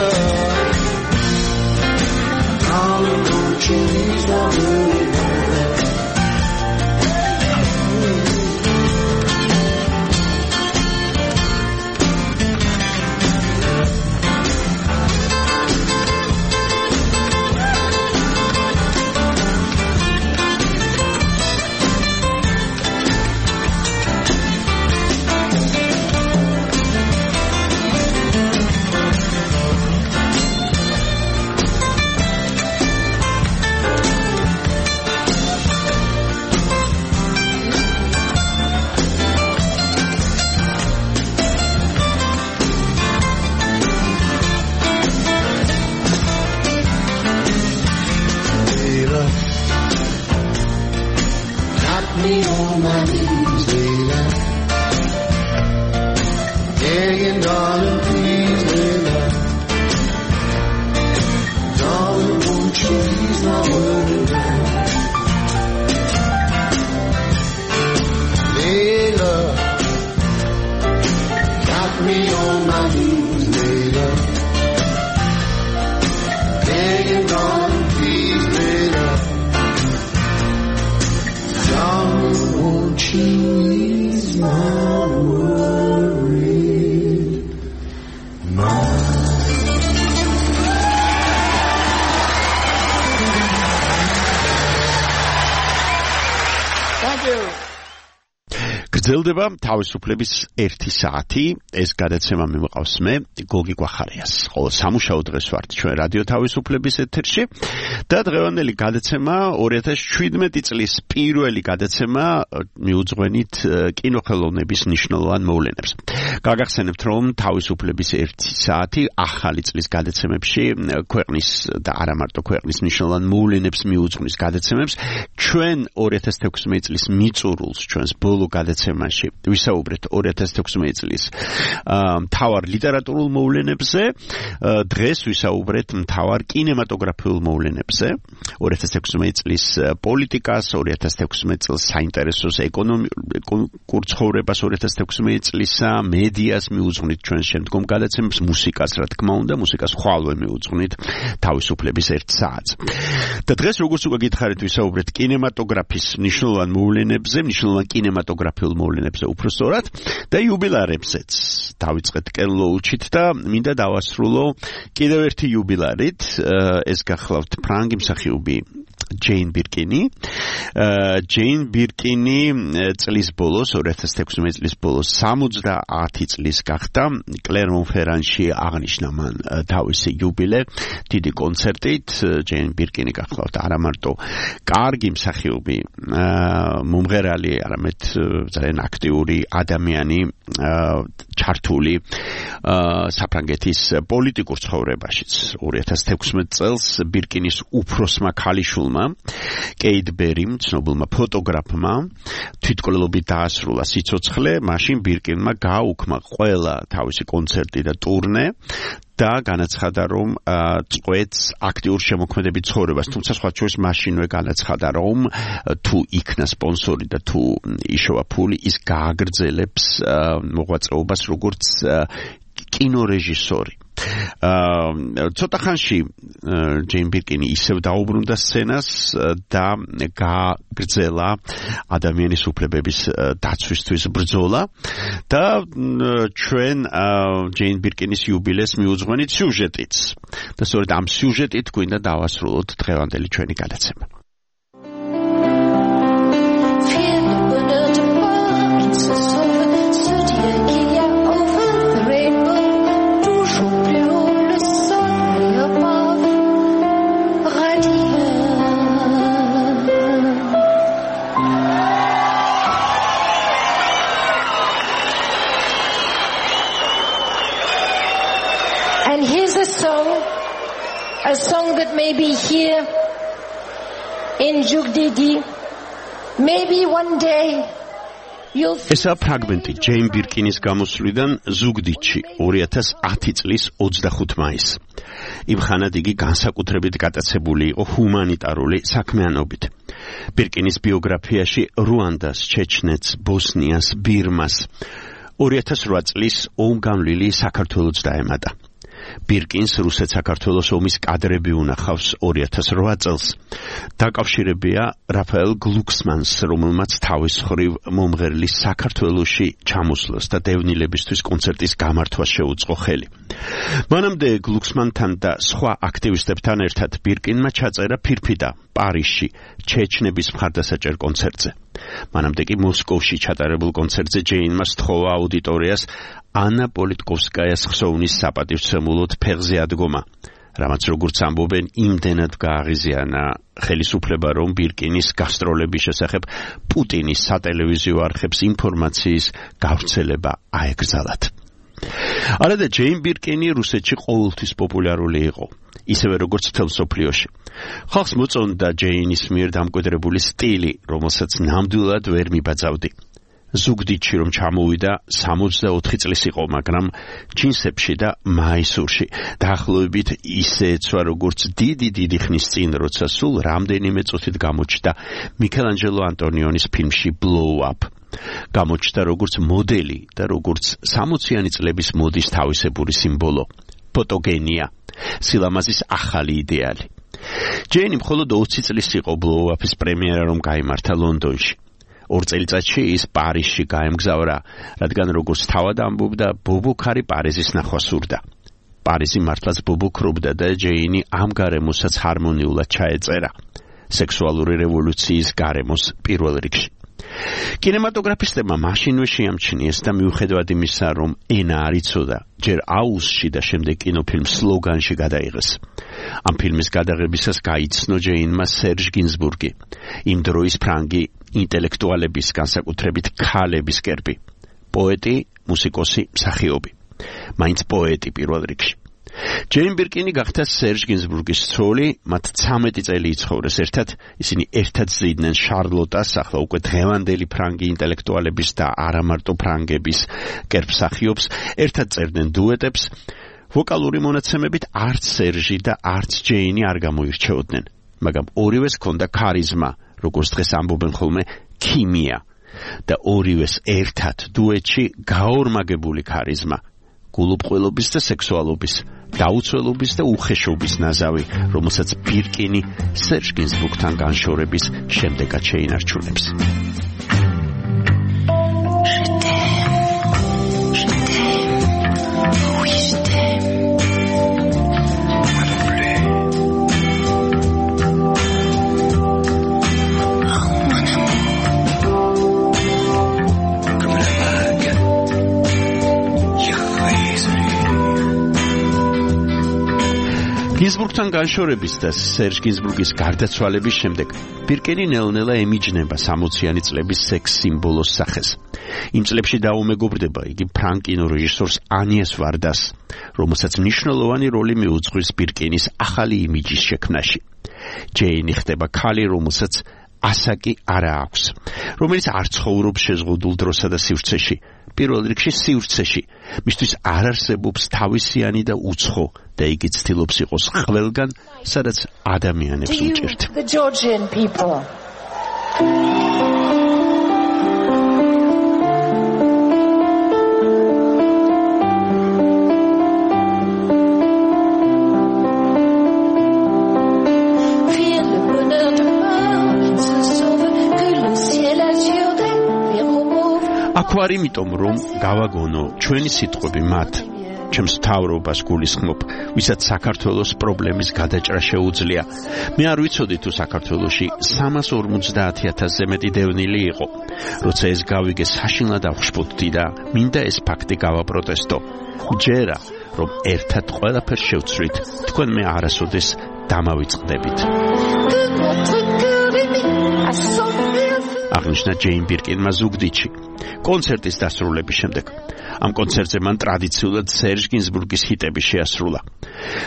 Speaker 11: darling, won't you ease my worried mind? Got me on my knees, baby, begging, darling, please, baby, darling, won't you ease my worried mind? Hey, love, got me on my knees, baby, begging, darling, please, baby, darling, won't you ease my worried mind?
Speaker 3: Thank you. გრძელდება თავისუფლების ერთი საათი. ეს გადაცემა მიმყავს მე გოგი გვახარიას. ყოველ სამუშაო დღეს ვართ ჩვენ რადიო თავისუფლების ეთერში და დღევანდელი გადაცემა ორი ათას შვიდმეტი წლის პირველი გადაცემა მიუძღვენით კინოხელოვნების მნიშვნელოვან მოვლენებს. გაგახსენებთ რომ თავისუფლების ერთი საათი ახალი წლის გადაცემებში ქვეყნის და არა მარტო ქვეყნის მნიშვნელოვან მოვლენებს მიუძღვნის გადაცემებს ჩვენ ორი ათას თექვსმეტი წლის მიწურულს ჩვენს ბოლო გადაცემაში ვისაუბრეთ ორი ათას თექვსმეტი წლის მთავარ ლიტერატურულ მოვლენებზე. დღეს ვისაუბრეთ მთავარ კინემატოგრაფიულ მოვლენებზე. ორი ათას თექვსმეტი წლის პოლიტიკას, ორი ათას თექვსმეტი წელს საინტერესოს ეკონომიკურ ცხოვრებას, ორი ათას თექვსმეტი წლისა მედიას მიუძღვნით ჩვენ შემდგომ გადაცემებს, მუსიკას რა თქმა უნდა, მუსიკას ხვალვე მიუძღვნით თავისუფლების ერთ საათს. და დღეს როგორც უკვე გითხარით ვისაუბრეთ კინემატოგრაფის მნიშვნელოვან მოვლენებზე, მნიშვნელოვან კინემატოგრაფიულ მოვლენებზე უფრო სწორად და იუბილარებზეც. დავიწყეთ კენ ლოუჩით და მინდა დავასრულო კიდევ ერთი იუბილარით. ეს გახლავთ ფრანგი მსახიობი ჯეინ ბირკინი. ჯეინ ბირკინი წლის ბოლოს ორი ათას თექვსმეტი წლის ბოლოს სამოცდაათი წლის გახდა. კლერმონ-ფერანში აღნიშნა მან თავისი იუბილე დიდი კონცერტით. ჯეინ ბირკინი გახლავთ არა მარტო კარგი მსახიობი, მომღერალი, არამედ ძალიან აქტიური ადამიანი, ჩართული საფრანგეთის პოლიტიკურ ცხოვრებაშიც. ორი ათას თექვსმეტ წელს ბირკინის უფროსმა ქალიშვილმა, კეით ბერიმ, ცნობილმა ფოტოგრაფმა, თვითმკვლელობით დაასრულა სიცოცხლე, მაშინ ბირკინმა გააუქმა ყველა თავისი კონცერტი და ტურნე და განაცხადა, რომ წყვეტს აქტიურ შემოქმედებით ცხოვრებას, თუმცა სხვა შორის მაშინვე განაცხადა, რომ თუ იქნა სპონსორი და თუ იშოვა ფული, ის გააგრძელებს მოღვაწეობას როგორც კინორეჟისორი. ცოტა ხანში ჯეინ ბირკინი ისევ დაუბრუნდა სცენას და გააგრძელა ადამიანის უფლებების დაცვისთვის ბრძოლა და ჩვენ ჯეინ ბირკინის იუბილეს მიუძღვენით სიუჟეტიც. და სწორედ ამ სიუჟეტით გვინდა დავასრულოთ დღევანდელი ჩვენი გადაცემა.
Speaker 12: And here's a song, a song that may be here in Jugdidi. Maybe one day you'll...
Speaker 3: ესა ფრაგმენტი ჯეინ ბირკინის გამოსვლიდან ზუგდიდში ორი ათას ათი წლის ოცდახუთი მაისს. იმ ხანად იგი განსაკუთრებით გატაცებული იყო ჰუმანიტარული საქმიანობით. ბირკინის ბიოგრაფიაში რუანდას, ჩეჩნეთს, ბოსნიას, ბირმას ორი ათას რვა წლის ომგანვლილი საქართველოც დაემატა. ბირკინს რუსეთ-საქართველოს ომის კადრები უნახავს ორი ათას რვა წელს. დაკავშირებია რაფაელ გლუქსმანს, რომელმაც თავის მხრივ მომღერლის საქართველოში ჩამოსვლას და დევნილებისთვის კონცერტის გამართვას შეუწყო ხელი. მანამდე გლუქსმანთან და სხვა აქტივისტებთან ერთად ბირკინმა ჩაწერა ფირფიტა პარიზში ჩეჩნების მხარდასაჭერ კონცერტზე. მანამდე კი მოსკოვში ჩატარებულ კონცერტზე ჯეინმა სთხოვა აუდიტორიას ანა პოლიტკოვსკაიას ხსოვნის საპატივცემულოდ ფეხზე ადგომა, რამაც როგორც ამბობენ, იმდენად გააღიზიანა ხელისუფლება, რომ ბირკინის გასტროლების შესახებ პუტინის სატელევიზიო არხებს ინფორმაციის გავრცელება აეკრძალათ. არადა ჯეინ ბირკინი რუსეთში ყოველთვის პოპულარული იყო, ისევე როგორც მთელ მსოფლიოში. ხალხს მოწონდა ჯეინის მიერ დამკვიდრებული სტილი, რომელსაც ნამდვილად ვერ მიბაძავდი. ზუგდიდში რომ ჩამოვიდა სამოცდაოთხი წლის იყო, მაგრამ ჯინსებში და მაისურში დაახლოებით ისე ეცვა როგორც დიდი დიდი ხნის წინ, როცა სულ რამდენიმე წუთით გამოჩნდა მიქელანჯელო ანტონიონის ფილმში Blow Up. გამოჩნდა როგორც მოდელი და როგორც სამოციანი წლების მოდის თავისებური სიმბოლო, ფოტოგენია, სილამაზის ახალი იდეალი. ჯეინი მხოლოდ ოცი წლის იყო Blow Up-ის პრემიერა რომ გაიმართა ლონდონში. ორ წელიწადში ის პარიზში გაემგზავრა, რადგან როგორც თავად ამბობდა, ბობოქარი პარიზის ნახვა სურდა. პარიზი მართლაც ბობოქრობდა და ჯეინი ამ გარემოსაც ჰარმონიულად ჩაეწერა, სექსუალური რევოლუციის გარემოს პირველ რიგში. კინემატოგრაფისტებმა მაშინვე შეამჩნიეს და მიუხედავად იმისა, რომ ენა არ იცოდა, ჯერ აუსში და შემდეგ კინოფილმ სლოგანში გადაიღეს. ამ ფილმის გადაღებისას გაიცნო ჯეინმა სერჟ გინზბურგი, იმ დროის ფრანგი ინტელექტუალების, განსაკუთრებით ქალების კერპი, პოეტი, მუსიკოსი, მსახიობი, მაინც პოეტი პირველ რიგში. ჯეინ ბირკინი გახდა სერჟ გინზბურგის ცოლი, მათ ცამეტი წელი იცხოვრეს ერთად, ისინი ერთად ზრდიდნენ შარლოტას, ახლა უკვე დღევანდელი ფრანგი ინტელექტუალების და არა მარტო ფრანგების კერპსახიობს, ერთად წერდნენ დუეტებს. ვოკალური მონაცემებით არც სერჟი და არც ჯეინი არ გამოირჩეოდნენ, მაგრამ ორივეს ჰქონდა ქარიზმა, როგორც დღეს ამბობენ ხოლმე, ქიმია და ორივეს ერთად დუეტში გაორმაგებული ქარიზმა, გულუბრყვილობის და სექსუალობის, დაუცველობის და უხეშობის ნაზავი, რომელსაც ბირკინი სერჟ გინზბურგთან განშორების შემდეგაც შეინარჩუნებს. გინზბურგთან განშორების და სერჟ გინზბურგის გარდაცვალების შემდეგ ბირკენი ნელ-ნელა ემიჯნება სამოციანი წლების სექს სიმბოლოს სახეს. იმ წლებში დაუმეგობრდება იგი ფრანგ კინორეჟისორს ანიეს ვარდას, რომელსაც მნიშვნელოვანი როლი მიუძღვის ბირკენის ახალი იმიჯის შექმნაში. ჯეინი ხდება ქალი, რომელსაც ასაკი არა აქვს, რომელიც არ ცხოვრობს შეზღუდულ დროსა და სივრცეში. პირველ რიგში სივრცეში, მისთვის არ არსებობს თავისიანი და უცხო და იგი ცდილობს იყოს ყველგან, სადაც ადამიანებს უჭერთ.
Speaker 12: The Georgian people.
Speaker 3: აქ ვარ იმიტომ, რომ გავაგონო ჩვენი სიტყვები მათ, ჩემს მთავრობას გულისხმობ, ვისაც საქართველოს პრობლემის გადაჭრა შეუძლია. მე არ ვიცოდი თუ საქართველოში სამას ორმოცდაათი ათასზე მეტი დევნილი იყო. როცა ეს გავიგე, საშინლად ავხშფოთდი და მინდა ეს ფაქტი გავაპროტესტო. ჯერა, რომ ერთად ყველაფერს შევცვლით, თქვენ მე არასოდეს დამავიწყდებით. აღნიშნა ჯეინ ბირკინმა ზუგდიდში, კონცერტის დასრულების შემდეგ. ამ კონცერტზე მან ტრადიციულად სერჟ გინზბურგის ჰიტები შეასრულა.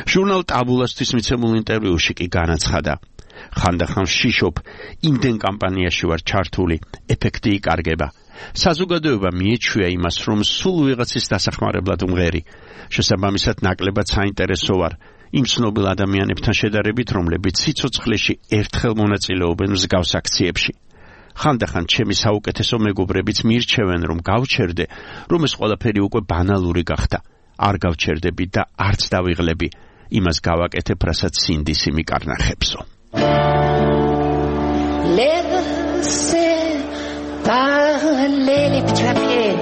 Speaker 3: ჟურნალ ტაბულასთვის მიცემულ ინტერვიუში კი განაცხადა: ხანდახან ვშიშობ, იმდენ კამპანიაში ვარ ჩართული, ეფექტი იკარგება. საზოგადოება მიეჩვია იმას, რომ სულ ვიღაცის დასახმარებლად ვმღერი. შესაბამისად ნაკლებად საინტერესო ვარ იმ ცნობილ ადამიანებთან შედარებით, რომლებიც სიცოცხლეში ერთხელ მონაწილეობენ მსგავს აქციებში. ხანდახან ჩემი საუკეთესო მეგობრებიც მირჩევენ, რომ გავჩერდე, რომ ეს ყველაფერი უკვე ბანალური გახდა. არ გავჩერდები და არც დავიღლები. იმას გავაკეთებ, რასაც სინდისი მიკარნახებსო.
Speaker 12: Laissez parler les petits papiers.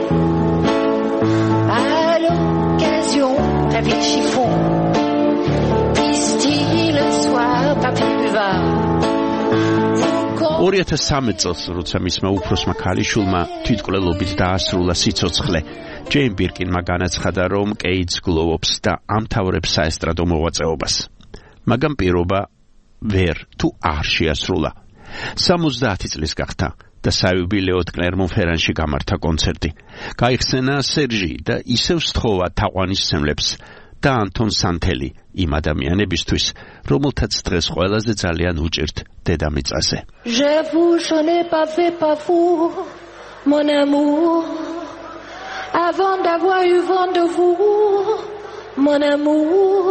Speaker 12: À l'occasion, avec chiffon. Pistil le soir, papier buvard.
Speaker 3: ორი ათას სამი წელს, როცა მისმა უფროსმა ქალიშვილმა თვითმკვლელობით დაასრულა სიცოცხლე, ჯეინ ბირკინმა განაცხადა, რომ კეიდს გლოვობს და ამთავრებს საესტრადო მოღვაწეობას. მაგრამ პირობა ვერ თუ არ შეასრულა. სამოცდაათი წლის გახდა და საიუბილეოდ კლერმონ-ფერანში გამართა კონცერტი. გაიხსენა სერჟი და ისევ სთხოვა თაყვანისმცემლებს და ანტონ სანთელი იმ ადამიანებისთვის, რომელთაც დღეს ყველაზე ძალიან უჭირთ დედამიწაზე.
Speaker 12: J'avoue, je n'ai pas fait pas vous, mon amour, avant d'avoir eu vent de vous, mon amour,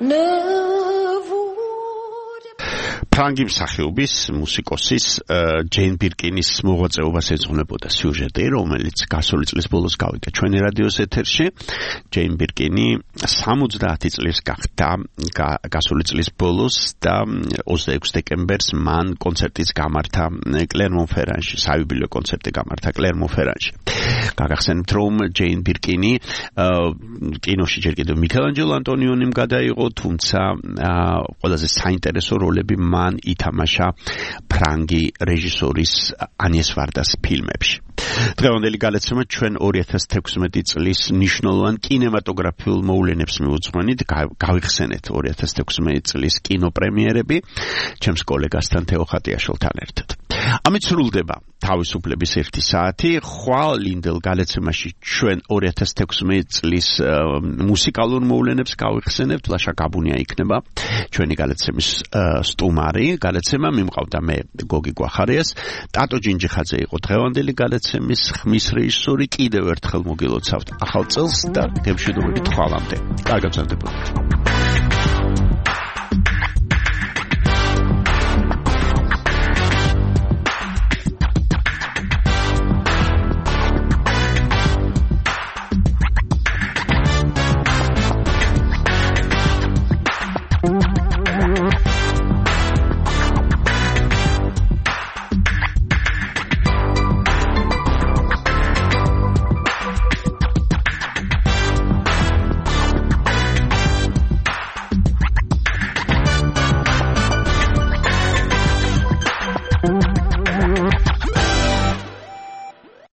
Speaker 12: ne vous...
Speaker 3: ფრანგი მსახიობის, მუსიკოსის ჯეინ ბირკინის მოღვაწეობას ეძღვნებოდა სიუჟეტი, რომელიც გასული წლის ბოლოს გავიგე ჩვენი რადიოს ეთერში. ჯეინ ბირკინი სამოცდაათი წლის გახდა გასული წლის ბოლოს და ოცდაექვსი დეკემბერს მან კონცერტიც გამართა კლერმონ-ფერანში, საიუბილეო კონცერტი გამართა კლერმონ-ფერანში. გაგახსენებთ, რომ ჯეინ ბირკინი კინოში ჯერ კიდევ მიქელანჯელო ანტონიონიმ გადაიღო, თუმცა ყველაზე საინტერესო როლები მან ითამაშა ფრანგი რეჟისორის ანიეს ვარდას ფილმებში. დღევანდელი გადაცემა ჩვენ ორი ათას თექვსმეტი წლის მნიშვნელოვან კინემატოგრაფიულ მოვლენებს მიუძღვენით, გავიხსენეთ ორი ათას თექვსმეტი წლის კინოპრემიერები ჩემს კოლეგასთან თეო ხატიაშვილთან ერთად. ამით სრულდება თავისუფლების ერთი საათი. ხვალ ლინდელ გადაცემაში ჩვენ ორი ათას თექვსმეტი წლის მუსიკალურ მოვლენებს გავიხსენებთ. ლაშა გაბუნია იქნება ჩვენი გადაცემის სტუმარი. გადაცემა მიმყავდა მე გოგი გვახარიას, ტატო ჯინჯიხაძე იყო დღევანდელი გადაცემის ხმის რეჟისორი. კიდევ ერთხელ მოგილოცავთ ახალ წელს და გემშვიდობებით ხვალამდე. კარგად გრძელდებოდეთ.